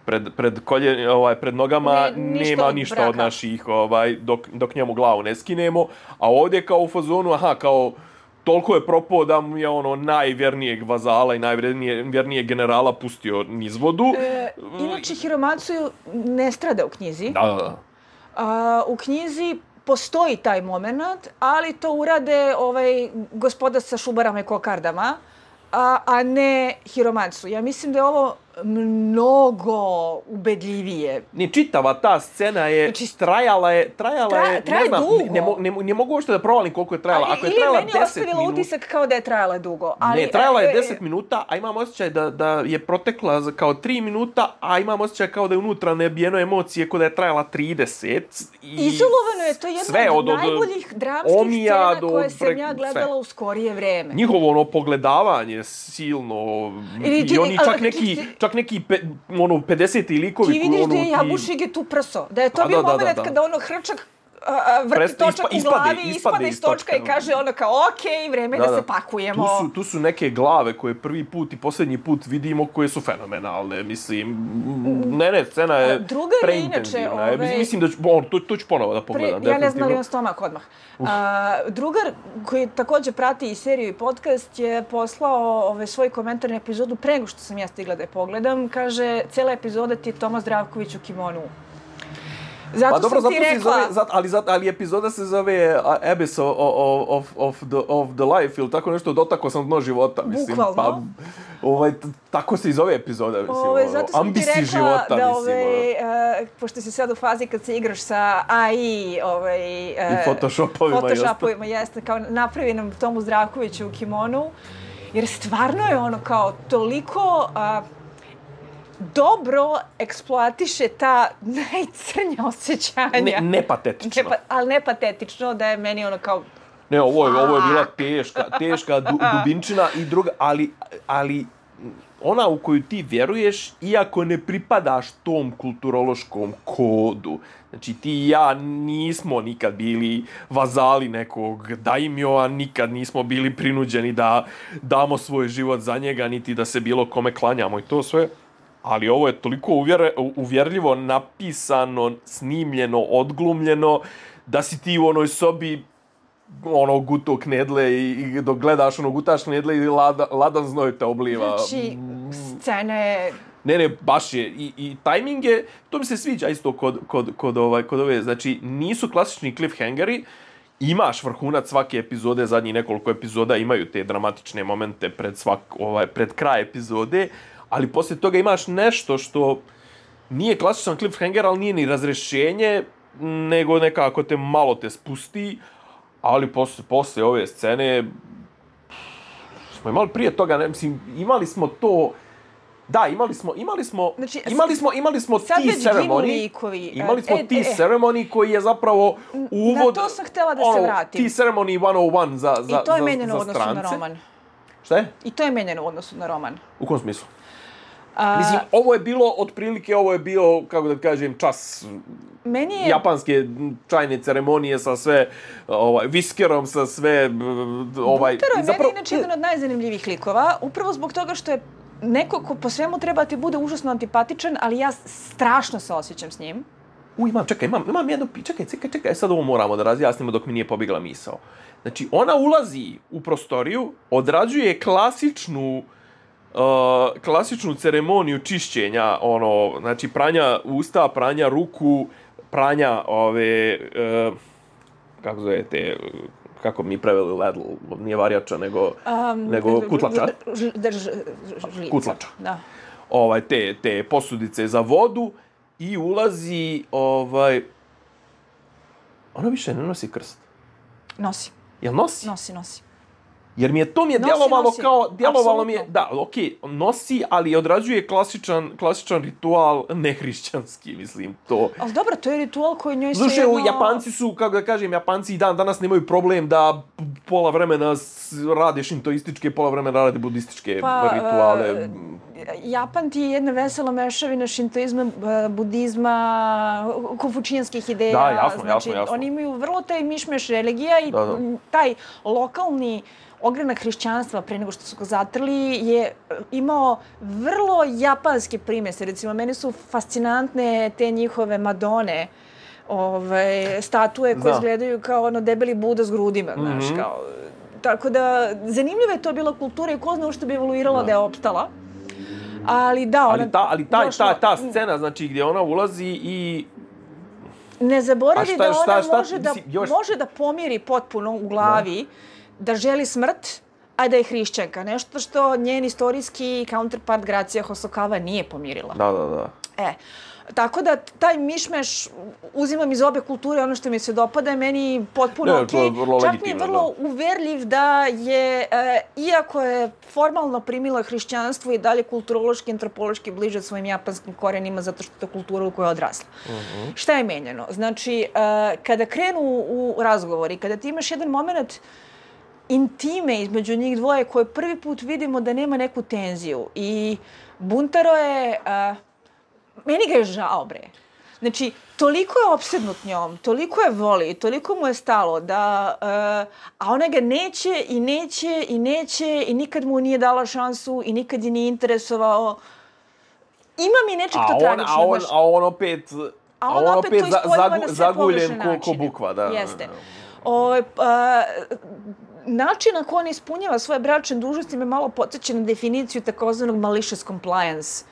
pred, pred, kolje, ovaj, pred nogama, ne, ništa nema od ništa braka. od naših, ovaj, dok, dok njemu glavu ne skinemo, a ovdje kao u fazonu, aha, kao toliko je propao da mu je ono najvjernijeg vazala i najvjernijeg generala pustio niz vodu. E, inače, Hiromatsu ne strada u knjizi. Da, da, da. A, u knjizi postoji taj moment, ali to urade ovaj gospoda sa šubarama i kokardama, a, a ne Hiromatsu. Ja mislim da je ovo mnogo ubedljivije. Ne, čitava ta scena je znači, trajala je, trajala tra, je, traje ne znam, dugo. ne, ne, ne, ne mogu uopšte da provalim koliko je trajala. Ako je trajala deset minuta... Ili meni je ostavila utisak kao da je trajala dugo. Ali, ne, trajala je e, deset minuta, a imam osjećaj da, da je protekla za kao tri minuta, a imam osjećaj kao da je unutra nebijeno emocije, kao da je trajala trideset. I izolovano je, to je jedna sve, od, od, od najboljih dramskih scena do, koje sam pre, ja gledala sve. U skorije vreme. Njihovo ono pogledavanje silno Ili, i oni čak neki, čak neki pe, ono, pedeseti likovi. Ti vidiš ono, da je ti... Jabušige tu prso. Da je to da, bio da, moment da, da. kada ono hrčak uh, vrti Prest, točak ispa, u glavi, ispade, ispada iz točka i kaže ono kao okej, okay, vreme da, da, da se pakujemo. Tu su, tu su neke glave koje prvi put i posljednji put vidimo koje su fenomenalne. Mislim, ne, ne, scena je Drugar preintenzivna. Inače, ove... Mislim da ću, on, to, to ću ponovo da pogledam. Pre, ja ne znam li on stomak odmah. Uh, drugar koji također prati i seriju i podcast je poslao ove, svoj komentar na epizodu pre nego što sam ja stigla da je pogledam. Kaže, cijela epizoda ti je Toma Zdravković u kimonu. Zato pa dobro, sam ti zato rekla... Se zove, zato, ali, zato, ali epizoda se zove uh, Abyss of, of, of, the, of the Life ili tako nešto, dotako sam dno života. Mislim, bukvalno. Pa, ovaj, t- tako se i zove epizoda, mislim. Ove, zato sam Ambisi ti rekla života, da, mislim. ovaj, uh, pošto si sad u fazi kad se igraš sa A I ovaj, uh, i photoshopovima. photoshopovima jeste, kao napravi nam Tomu Zdravkoviću u kimonu. Jer stvarno je ono kao toliko... Uh, dobro eksploatiše ta najcrnja osjećanja. Ne, nepatetično. Ne, ali nepatetično da je meni ono kao... Ne, ovo je, ovo je bila teška, teška du, dubinčina i druga, ali, ali ona u koju ti vjeruješ, iako ne pripadaš tom kulturološkom kodu. Znači, ti i ja nismo nikad bili vazali nekog daimjoa, nikad nismo bili prinuđeni da damo svoj život za njega, niti da se bilo kome klanjamo i to sve. Ali ovo je toliko uvjer, uvjerljivo napisano, snimljeno, odglumljeno, da si ti u onoj sobi ono guto knedle i, i dok gledaš ono gutaš knedle i lada, ladan znoj te obliva. Znači, scena je... Ne, ne, baš je. I, i tajming je, to mi se sviđa isto kod, kod, kod, ovaj, kod ove, znači nisu klasični cliffhangeri, imaš vrhunac svake epizode, zadnjih nekoliko epizoda imaju te dramatične momente pred, svak, ovaj, pred kraj epizode, ali poslije toga imaš nešto što nije klasičan cliffhanger, ali nije ni razrešenje, nego nekako te malo te spusti, ali posle, posle ove scene smo imali prije toga, ne, mislim, imali smo to, da, imali smo, imali smo, znači, imali smo, imali smo tea ceremony, imali smo e, tea e, ceremony koji je zapravo uvod, na to sam htjela da ono, se vratim. Tea ceremony sto jedan za, za, I to je za, menjeno za u odnosu strance. na roman. Šta je? I to je menjeno u odnosu na roman. U kom smislu? A... Mislim, ovo je bilo, otprilike, ovo je bio, kako da kažem, čas Meni je... japanske čajne ceremonije sa sve, ovaj, viskerom, sa sve, ovaj... Buntaro je zapravo... meni inače jedan od najzanimljivih likova, upravo zbog toga što je neko ko po svemu treba ti bude užasno antipatičan, ali ja strašno se osjećam s njim. U, imam, čekaj, imam, imam jedno, čekaj, čekaj, čekaj, sad ovo moramo da razjasnimo dok mi nije pobjegla misao. Znači, ona ulazi u prostoriju, odrađuje klasičnu Uh, klasičnu ceremoniju čišćenja, ono, znači pranja usta, pranja ruku, pranja ove, uh, kako zovete, kako mi preveli ledl, nije varjača, nego, um, nego kutlača. Drž, kutlača. Da. Ovaj, te, te posudice za vodu i ulazi, ovaj, ona više ne nosi krst. Nosi. Jel nosi? Nosi, nosi. Jer mi je to mi je nosi, djelovalo nosi. kao, djelovalo mi je, Apsolutno. da, okej, okay, nosi, ali odrađuje klasičan, klasičan ritual nehrišćanski, mislim, to. Ali dobro, to je ritual koji njoj se Slušaj, jedno... Japanci su, kako da kažem, Japanci i dan danas nemaju problem da pola vremena rade šintoističke, pola vremena rade budističke pa, rituale. Uh, Japan ti je jedna vesela mešavina šintoizma, budizma, konfučijanskih ideja. Da, jasno, znači, jasno, jasno. Oni imaju vrlo taj mišmeš religija i da, da. taj lokalni ogranak hrišćanstva pre nego što su ga zatrli je imao vrlo japanske primjese. Recimo, meni su fascinantne te njihove Madone, ove, statue koje izgledaju kao ono debeli Buda s grudima, mm-hmm. znaš, kao... Tako da, zanimljiva je to bila kultura i ko zna što bi evoluirala da, da je opstala. Ali da, ona... Ali ta, ali ta, došla... ta, ta scena, znači, gdje ona ulazi i... Ne zaboravi šta, da ona šta, šta, može, mislim, da, još... može da pomiri potpuno u glavi da, da želi smrt, a da je hrišćanka. Nešto što njen istorijski counterpart Gracija Hosokawa nije pomirila. Da, da, da. E, tako da taj mišmeš uzimam iz obe kulture, ono što mi se dopada je meni potpuno okej. Okay. Čak mi je vrlo da. uverljiv da je, e, iako je formalno primila hrišćanstvo i dalje kulturološki, antropološki bliže svojim japanskim korenima zato što je to kultura u kojoj je odrasla. Uh-huh. Šta je menjeno? Znači, e, kada krenu u razgovori, kada ti imaš jedan moment intime između njih dvoje koje prvi put vidimo da nema neku tenziju i Buntaro je... E, meni ga je žao, bre. Znači, toliko je opsednut njom, toliko je voli, toliko mu je stalo da... Uh, a ona ga neće i neće i neće i nikad mu nije dala šansu i nikad je nije interesovao. Ima mi nečeg to tragično. A on, a on opet... A on, a on opet, opet za, zagu, zaguljen ko, ko bukva, da. Jeste. O, uh, način na koji on ispunjava svoje bračne dužnosti me malo podsjeća na definiciju takozvanog malicious compliance.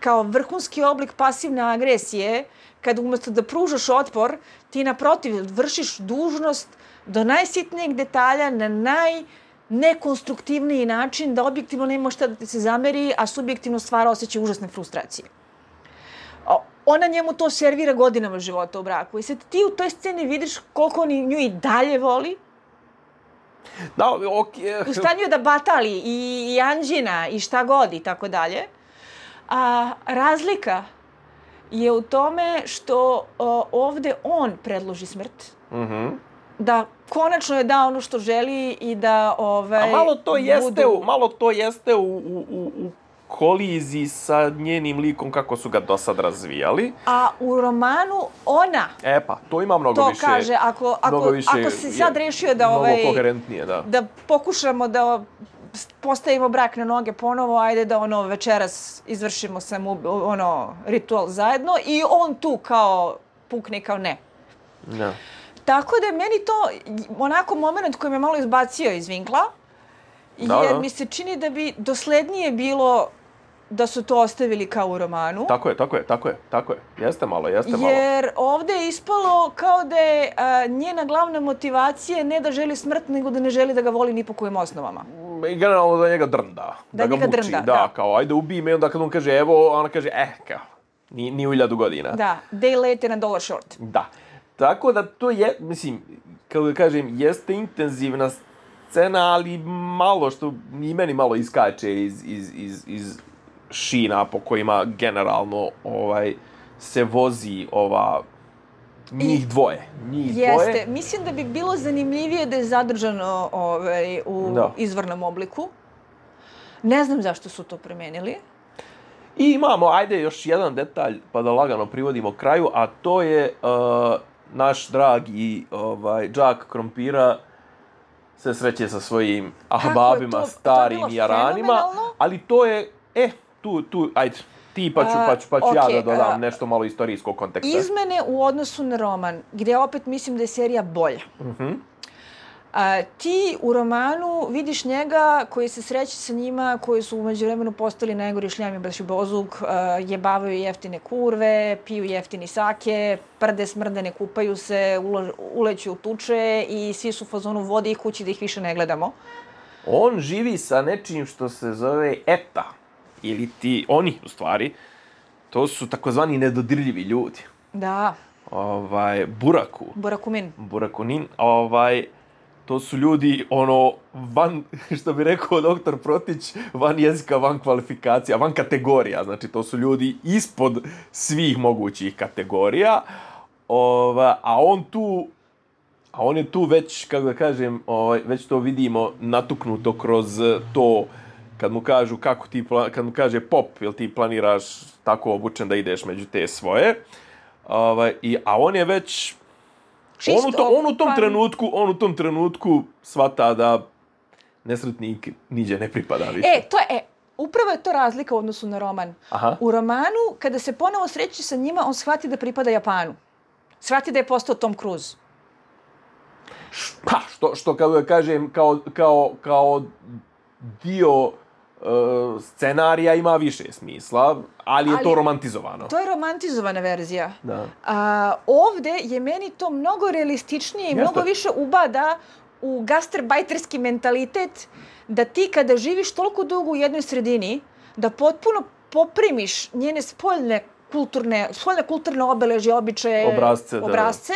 Kao vrhunski oblik pasivne agresije, kad umjesto da pružaš otpor, ti naprotiv vršiš dužnost do najsitnijeg detalja na najnekonstruktivniji način da objektivno nema šta da ti se zameri, a subjektivno stvara osjećaj užasne frustracije. Ona njemu to servira godinama života u braku. I sad ti u toj sceni vidiš koliko on nju i dalje voli. Da, okej. U stanju je da batali i, i anđina i šta god i tako dalje. A razlika je u tome što o, ovde on predloži smrt, mm-hmm. da konačno je dao ono što želi i da ovaj, A malo to jeste, budu... u, malo to jeste u, u, u, u koliziji sa njenim likom kako su ga do sad razvijali. A u romanu ona... E pa, to ima mnogo to više... To kaže, ako, ako, više, ako si sad rešio da... Mnogo Ovaj, koherentnije, da. Da pokušamo da postavimo brak na noge ponovo, ajde da ono večeras izvršimo samo ono ritual zajedno i on tu kao pukne kao ne. Da. Tako da je meni to onako moment koji me malo izbacio iz vinkla, da, jer da. mi se čini da bi doslednije bilo da su to ostavili kao u romanu. Tako je, tako je, tako je, tako je. Jeste malo, jeste malo. Jer ovdje je ispalo kao da je a, njena glavna motivacija ne da želi smrt, nego da ne želi da ga voli ni po kojim osnovama. I generalno da njega drnda. Da, da ga njega muči, drnda, da. Da, kao ajde ubij me, onda kad on kaže evo, ona kaže eh, kao, ni, ni u hiljadu godina. Da, day late and a dollar short. Da. Tako da to je, mislim, kako da kažem, jeste intenzivna scena, ali malo što i meni malo iskače iz, iz, iz, iz šina po kojima generalno ovaj se vozi ova njih I, dvoje. Njih jeste. Dvoje. Mislim da bi bilo zanimljivije da je zadržano ovaj, u da. izvornom obliku. Ne znam zašto su to promenili. I imamo, ajde, još jedan detalj, pa da lagano privodimo kraju, a to je uh, naš dragi ovaj, džak krompira se sreće sa svojim ahbabima, to, starim to jaranima, ali to je, e, tu, tu, ajde, ti pa ću, pa ću, pa ću uh, okay, ja da dodam uh, nešto malo istorijskog konteksta. Izmene u odnosu na roman, gdje opet mislim da je serija bolja. Uh-huh. Uh, ti u romanu vidiš njega koji se sreće sa njima, koji su u međuvremenu postali najgori šljami bašibozuk, uh, jebavaju jeftine kurve, piju jeftini sake, prde smrdene, kupaju se, ula, uleću u tuče i svi su u fazonu vodi ih kući da ih više ne gledamo. On živi sa nečim što se zove eta, ili ti, oni u stvari, to su takozvani nedodirljivi ljudi. Da. Ovaj, buraku. Burakumin. Burakunin, ovaj... To su ljudi, ono, van, što bi rekao doktor Protić, van jezika, van kvalifikacija, van kategorija. Znači, to su ljudi ispod svih mogućih kategorija. Ova, a on tu, a on je tu već, kako da kažem, ovaj, već to vidimo natuknuto kroz to, kad mu kažu kako ti, kad mu kaže pop, jel ti planiraš tako obučen da ideš među te svoje. Ovaj, i, a on je već... On u, to, on u tom trenutku, on u tom trenutku shvata da nesretnik niđe ne pripada više. E, to je, e, upravo je to razlika u odnosu na roman. Aha. U romanu, kada se ponovo sreće sa njima, on shvati da pripada Japanu. Shvati da je postao Tom Cruise. Pa, što, što kao da kažem, kao, kao, kao dio uh, scenarija ima više smisla, ali je ali, to romantizovano. To je romantizovana verzija. Da. A, ovde je meni to mnogo realističnije i Jeste. mnogo više ubada u gastarbajterski mentalitet da ti kada živiš toliko dugo u jednoj sredini, da potpuno poprimiš njene spoljne kulturne, spoljne kulturne obeležje, običaje, obrazce, obrazce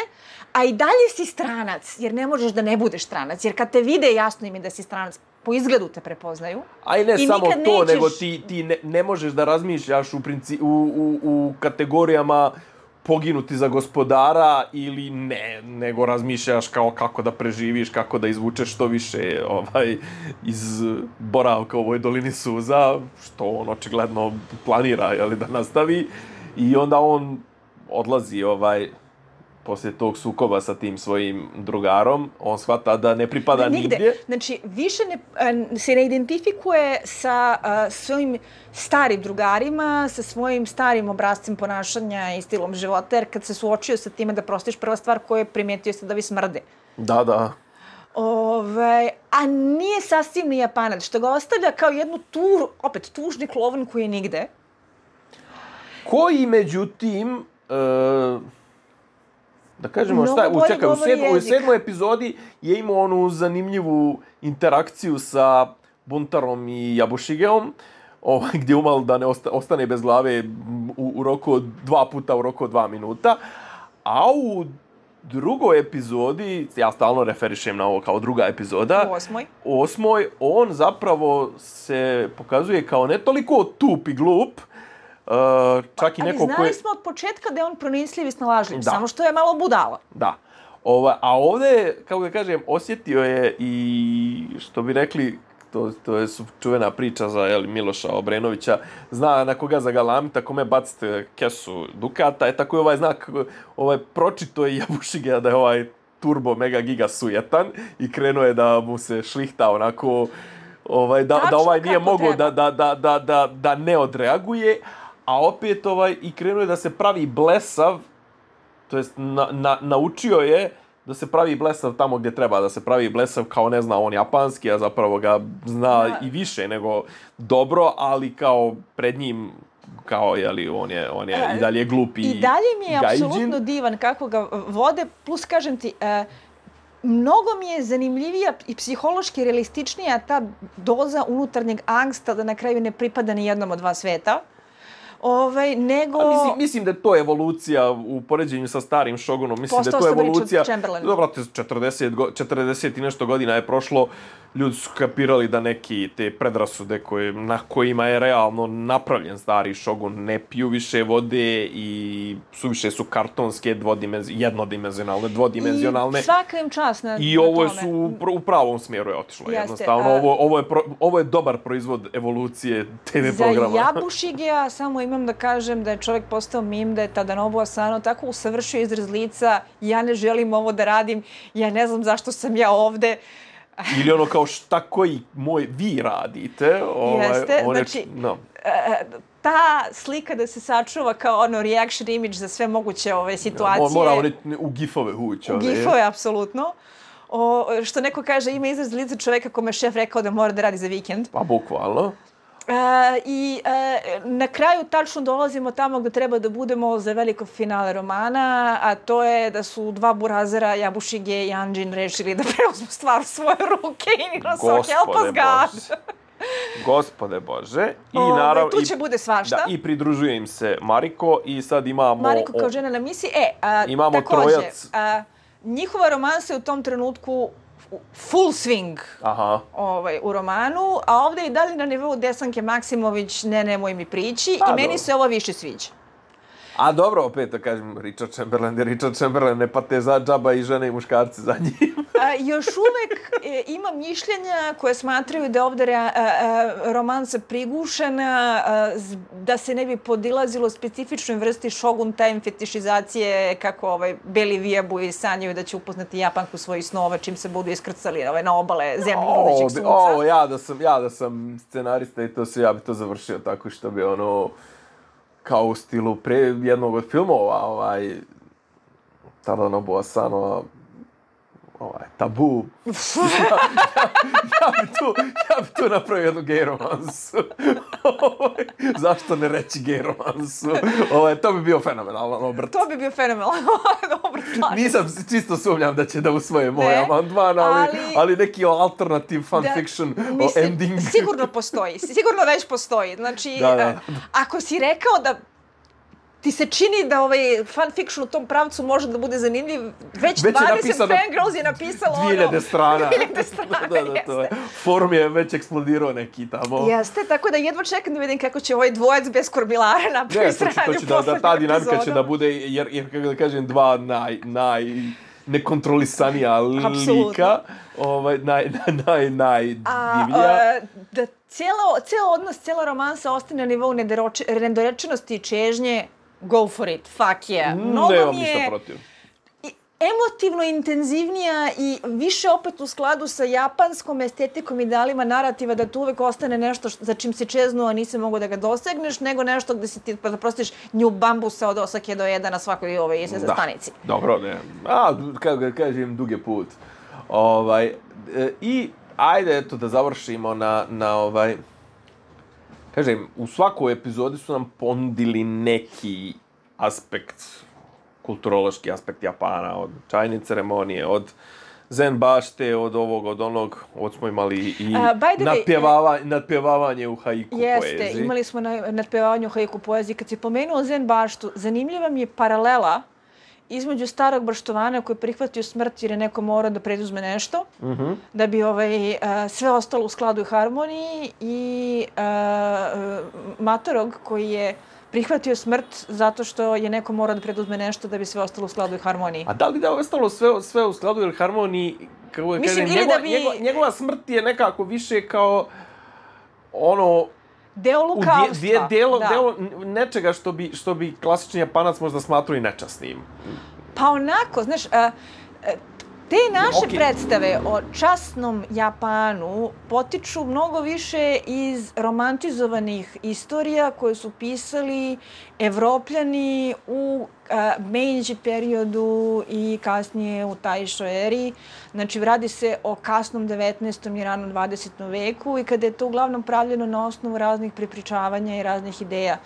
a i dalje si stranac, jer ne možeš da ne budeš stranac, jer kad te vide jasno im je da si stranac, po izgledu te prepoznaju. A i ne I samo to, nećeš... nego ti, ti ne, ne možeš da razmišljaš u, princi, u, u, u kategorijama poginuti za gospodara ili ne, nego razmišljaš kao kako da preživiš, kako da izvučeš što više ovaj, iz boravka u ovoj dolini suza, što on očigledno planira jeli, da nastavi. I onda on odlazi ovaj, poslije tog sukoba sa tim svojim drugarom, on shvata da ne pripada ne, nigdje. nigdje. Znači, više ne, se ne identifikuje sa uh, svojim starim drugarima, sa svojim starim obrazcem ponašanja i stilom života, jer kad se suočio sa time da prostiš, prva stvar koju je primijetio se da vi smrde. Da, da. Ove, a nije sasvim ni Japanac, što ga ostavlja kao jednu tur, opet tužni klovan koji je nigde. Koji, međutim... Uh... Da kažemo šta, u, čekaj, u, sedmo, u sedmoj epizodi je imao onu zanimljivu interakciju sa Buntarom i Jabushigeom, ovaj, gdje umal da ne osta, ostane bez glave u, u roku od dva puta u roku od dva minuta. A u drugoj epizodi, ja stalno referišem na ovo kao druga epizoda, u osmoj, u osmoj on zapravo se pokazuje kao ne toliko tup i glup, Uh, čak i neko ali znali koje... smo od početka da je on pronicljiv i snalažljiv, samo što je malo budala. Da. Ova, a ovdje, kako da kažem, osjetio je i, što bi rekli, to, to je čuvena priča za jel, Miloša Obrenovića, zna na koga zagalamiti, ako me bacite kesu dukata, je tako i ovaj znak, ovaj pročito je Jabušige da je ovaj turbo mega giga sujetan i krenuo je da mu se šlihta onako, ovaj, da, da ovaj nije mogao da, da, da, da, da, da ne odreaguje, a opet ovaj, i krenuo je da se pravi blesav, to jest na, na, naučio je da se pravi blesav tamo gdje treba, da se pravi blesav kao ne zna on japanski, a zapravo ga zna da. I više nego dobro, ali kao pred njim, kao, jeli, on je, on je e, i dalje glupi i dalje mi je gajdžin. Apsolutno divan kako ga vode, plus kažem ti, e, mnogo mi je zanimljivija i psihološki realističnija ta doza unutarnjeg angsta da na kraju ne pripada ni jednom od dva sveta. Ovaj, nego... A mislim, mislim da je to evolucija u poređenju sa starim Shogunom. Mislim Postao da je to evolucija... Dobro, četrdeset, četrdeset i nešto godina je prošlo. Ljudi su kapirali da neki te predrasude koje, na kojima je realno napravljen stari Shogun ne piju više vode i suviše su kartonske, jednodimenzionalne, dvodimenzionalne. I svaka im čast na, I na ovo tome. su u, u pravom smjeru je otišlo. Jeste, jednostavno. A... Ovo, ovo, je pro, ovo je dobar proizvod evolucije te ve programa. Za Jabušigea samo imam da kažem da je čovjek postao mim, da je Tadanobu Asano tako usavršio izraz lica, ja ne želim ovo da radim, ja ne znam zašto sam ja ovde. Ili ono kao šta koji moj vi radite. Ovaj, Jeste, one, znači, no. ta slika da se sačuva kao ono reaction image za sve moguće ove situacije. Ja, mora oni u gifove ući. U gifove, apsolutno. O, što neko kaže, ima izraz lica čoveka kome je šef rekao da mora da radi za vikend. Pa bukvalno. E, I e, na kraju tačno dolazimo tamo gdje treba da budemo za veliko finale romana, a to je da su dva burazera, Jabušige i Anjin, rešili da preuzmu stvar u svoje ruke i Nino so help us God. Gospode Bože. I o, naravno, tu će i, bude svašta. Da, i pridružuje im se Mariko i sad imamo... Mariko kao žena na misiji. E, a, imamo takođe, trojac. A, njihova romansa je u tom trenutku full swing. Aha. Ovaj, u romanu, a ovdje i dalje na nivou Desanke Maksimović, ne, nemoj mi prići, a, i meni dobro. se ovo više sviđa. A dobro, opet da kažem, Richard Chamberlain je Richard Chamberlain, ne pate za džaba i žene i muškarci za njim. A, još uvek e, ima mišljenja koje smatraju da je ovdje rea, a, a, romansa prigušena, a, z, da se ne bi podilazilo specifičnoj vrsti Shogun time fetišizacije, kako ovaj, beli vijabuji sanjaju da će upoznati Japanku svojih snova čim se budu iskrcali ovaj, na obale zemlje budućeg sunca. Ovo, ja da sam, ja da sam scenarista i to se, ja bi to završio tako što bi ono... kao u stilu pre jednog od filmova, ovaj, Tadanobu Asano, ovaj, Tabu. ja, ja, ja, bi tu, ja bi tu napravio jednu gay romansu. Zašto ne reći gay romansu? Ovaj, to bi bio fenomenalan obrt. To bi bio fenomenalan obrt. Nisam čisto sumnjam da će da usvoje moj amandman, ali, ali, ali neki alternative fanfiction da, o ending. Sigurno postoji, sigurno već postoji. Znači, da, da, da. ako si rekao da ti se čini da ovaj fanfiction u tom pravcu može da bude zanimljiv, već, već dvadeset fangirls je napisalo ono... dvije strane. dvije strane, da, da, to je. Forum je već eksplodirao neki tamo. Jeste, tako da jedva čekam da vidim kako će ovaj dvojac bez kormilara napravi sranju poslednju epizodu. Da, da ta dinamika će da bude, jer, jer kako da kažem, dva naj, naj nekontrolisanija lika, ovaj, naj, naj, naj divlja. Da cijelo, cijelo odnos, cijela romansa ostane na nivou nedorečenosti i čežnje, go for it, fuck yeah. Mnogo Nemam mi ništa je protiv. emotivno intenzivnija i više opet u skladu sa japanskom estetikom idealima narativa da tu uvek ostane nešto za čim se čeznuo, a nisi mogo da ga dosegneš, nego nešto gde se ti da prostiš nju bambusa od Osake do Eda na svakoj ove da. stanici. Dobro, ne. A, kako ga kažem, dug je put. Ovaj, e, I ajde, eto, da završimo na, na ovaj... Kažem, u svakoj epizodi su nam ponudili neki aspekt, kulturološki aspekt Japana, od čajne ceremonije, od zen bašte, od ovog, od onog, od smo imali i uh, nadpjevava, uh, nadpjevavanje u haiku jeste, poeziji. Jeste, imali smo na, nadpjevavanje u haiku poeziji. Kad si pomenuo zen baštu, zanimljiva mi je paralela između starog baštovana koji je prihvatio smrt jer je neko morao da preduzme nešto, Mhm. da bi ovaj, uh, sve ostalo u skladu i harmoniji, i uh, matorog koji je prihvatio smrt zato što je neko morao da preduzme nešto da bi sve ostalo u skladu i harmoniji. A da li da je ostalo sve, sve u skladu ili harmoniji, kako da Mislim, kažem, ili njegova, da bi- njegova, njegova smrt je nekako više kao ono, Deo u dje, lukavstva. dje, delo, da. delo nečega što bi, što bi klasični Japanac možda smatrao i nečasnim. Pa onako, znaš, a, a, te naše Okej. predstave o časnom Japanu potiču mnogo više iz romantizovanih istorija koje su pisali Evropljani u a, Meiji periodu i kasnije u Taishō eri. Znači, radi se o kasnom devetnaestom i ranom dvadesetom veku i kada je to uglavnom pravljeno na osnovu raznih prepričavanja i raznih ideja.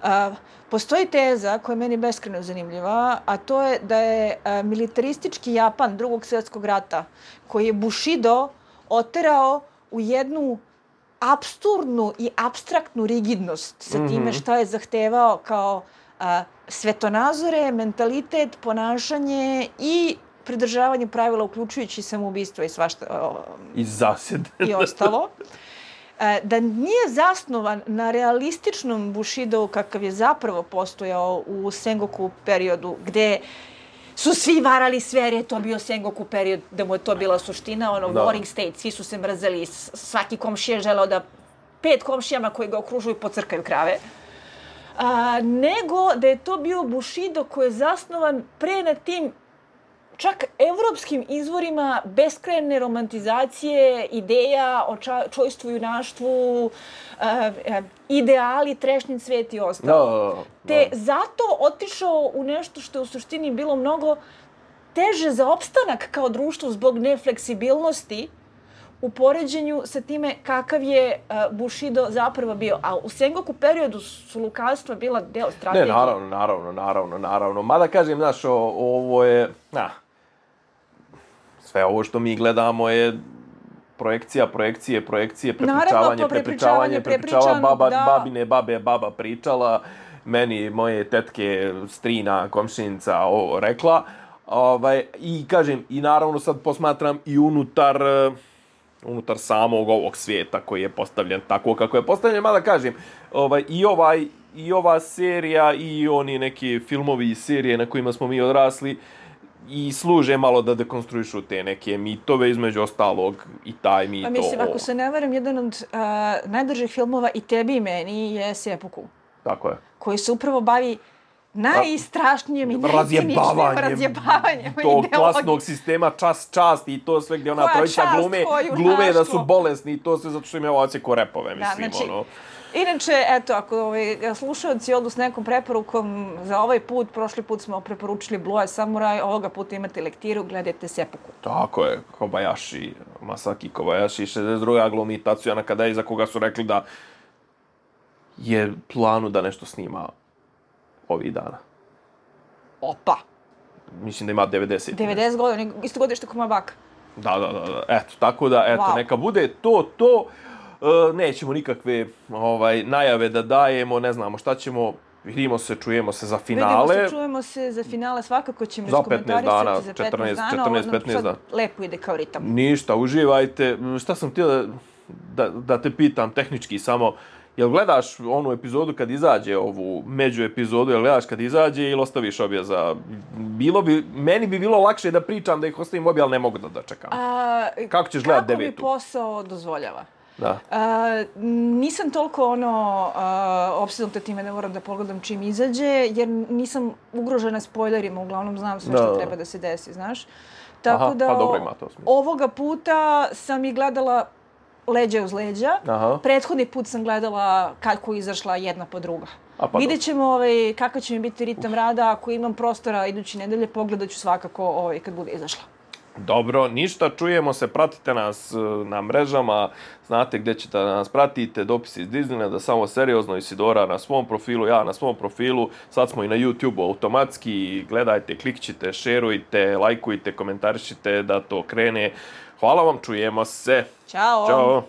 A, Postoji teza koja je meni beskrajno zanimljiva, a to je da je a, militaristički Japan drugog svjetskog rata, koji je Bushido oterao u jednu apsurdnu i apstraktnu rigidnost sa time šta je zahtevao kao a, svetonazore, mentalitet, ponašanje i pridržavanje pravila, uključujući samoubistvo i svašta o, I zasjede. i ostalo. E, da nije zasnovan na realističnom Bushidovu kakav je zapravo postojao u Sengoku periodu, gde su svi varali sve jer je to bio Sengoku period, da mu je to bila suština, ono, Da. warring state, svi su se mrzeli, s- svaki komšija je želeo da pet komšijama koji ga okružuju pocrkaju krave. A, nego da je to bio Bushido koji je zasnovan pre na tim čak evropskim izvorima beskrajne romantizacije, ideja o ča, čojstvu, junaštvu, e, e, ideali, trešnji cvet i ostalo. Da, Te da. zato otišao u nešto što je u suštini bilo mnogo teže za opstanak kao društvo zbog nefleksibilnosti u poređenju sa time kakav je uh, Bushido zapravo bio. A u Sengoku periodu su lukavstva bila deo Ne, strategije. naravno, naravno, naravno, naravno. Mada kažem, znaš, o, ovo je, na, sve ovo što mi gledamo je projekcija, projekcije, projekcije, Naravno, prepričavanje, pa prepričavanje, prepričavanje, prepričava prepričano, baba, da. babine babe, baba pričala, meni moje tetke, strina, komšinica ovo rekla. Ovaj, I kažem, i naravno sad posmatram i unutar, eh, unutar samog ovog svijeta koji je postavljen tako kako je postavljen, mada kažem, ovaj, i ovaj i ova serija i oni neki filmovi i serije na kojima smo mi odrasli i služe malo da dekonstruišu te neke mitove, između ostalog i taj mit. Pa mislim, o- ako se ne varam, jedan od uh, najdržih filmova i tebi i meni je Seppuku, Tako je. koji se upravo bavi najstrašnijim i najciničnijim Razjebavanjem razjebavanjem tog ideologije. klasnog sistema čas, čast i to sve gdje ona Koja trojica čast, glume, koje glume da su junaštvo. bolesni i to sve zato što im je ovo odsjeko repove, mislim, znači, ono. Inače, eto, ako ovaj, slušalci odu s nekom preporukom za ovaj put, prošli put smo preporučili Blue Samurai, ovoga puta imate lektiru, gledajte Seppuku. Tako je, Kobayashi, Masaki Kobayashi, šezdeset druga glumi Tatsuya Nakadai, za koga su rekli da je planu da nešto snima ovih dana. Opa! Mislim da ima devedeset. devedeset godina, isto godište kao moja baka. Da, da, da, da. Eto, tako da, eto, Wow. neka bude to, to. E, nećemo nikakve ovaj, najave da dajemo, ne znamo šta ćemo. Vidimo se, čujemo se za finale. Vidimo se, čujemo se za finale, svakako ćemo Za petnaest dana, iskomentarisati za petnaest četrnaest, dana. četrnaest, Ovo nam petnaest sad dana. lepo ide kao ritam. Ništa, uživajte. Šta sam htio da, da, da te pitam tehnički samo, jel gledaš onu epizodu kad izađe, ovu među epizodu, jel gledaš kad izađe ili ostaviš obje za... Bilo bi, meni bi bilo lakše da pričam da ih ostavim obje, ali ne mogu da dočekam. A, Kako ćeš gledat Kako mi devetu? posao dozvoljava? Da. A, nisam toliko ono a, opsednuta time da moram da pogledam čim izađe, jer nisam ugrožena spoilerima, uglavnom znam sve Da, što da. treba da se desi, znaš. Tako Aha, da pa o- dobro ima to smisla. ovoga puta sam i gledala leđa uz leđa. Aha. Prethodni put sam gledala kako je izašla jedna po druga. A, pa Vidjet ćemo ovaj, kakav će mi biti ritam rada. Ako imam prostora idući nedelje, pogledat ću svakako ovaj, kad bude izašla. Dobro, ništa, čujemo se, pratite nas e, na mrežama, znate gdje ćete da nas pratite, dopisi iz Disneylanda, samo seriozno, Isidora na svom profilu, ja na svom profilu, sad smo i na YouTube automatski, gledajte, klikćite, šerujte, lajkujte, komentarišite da to krene. Hvala vam, čujemo se. Ćao! Ćao!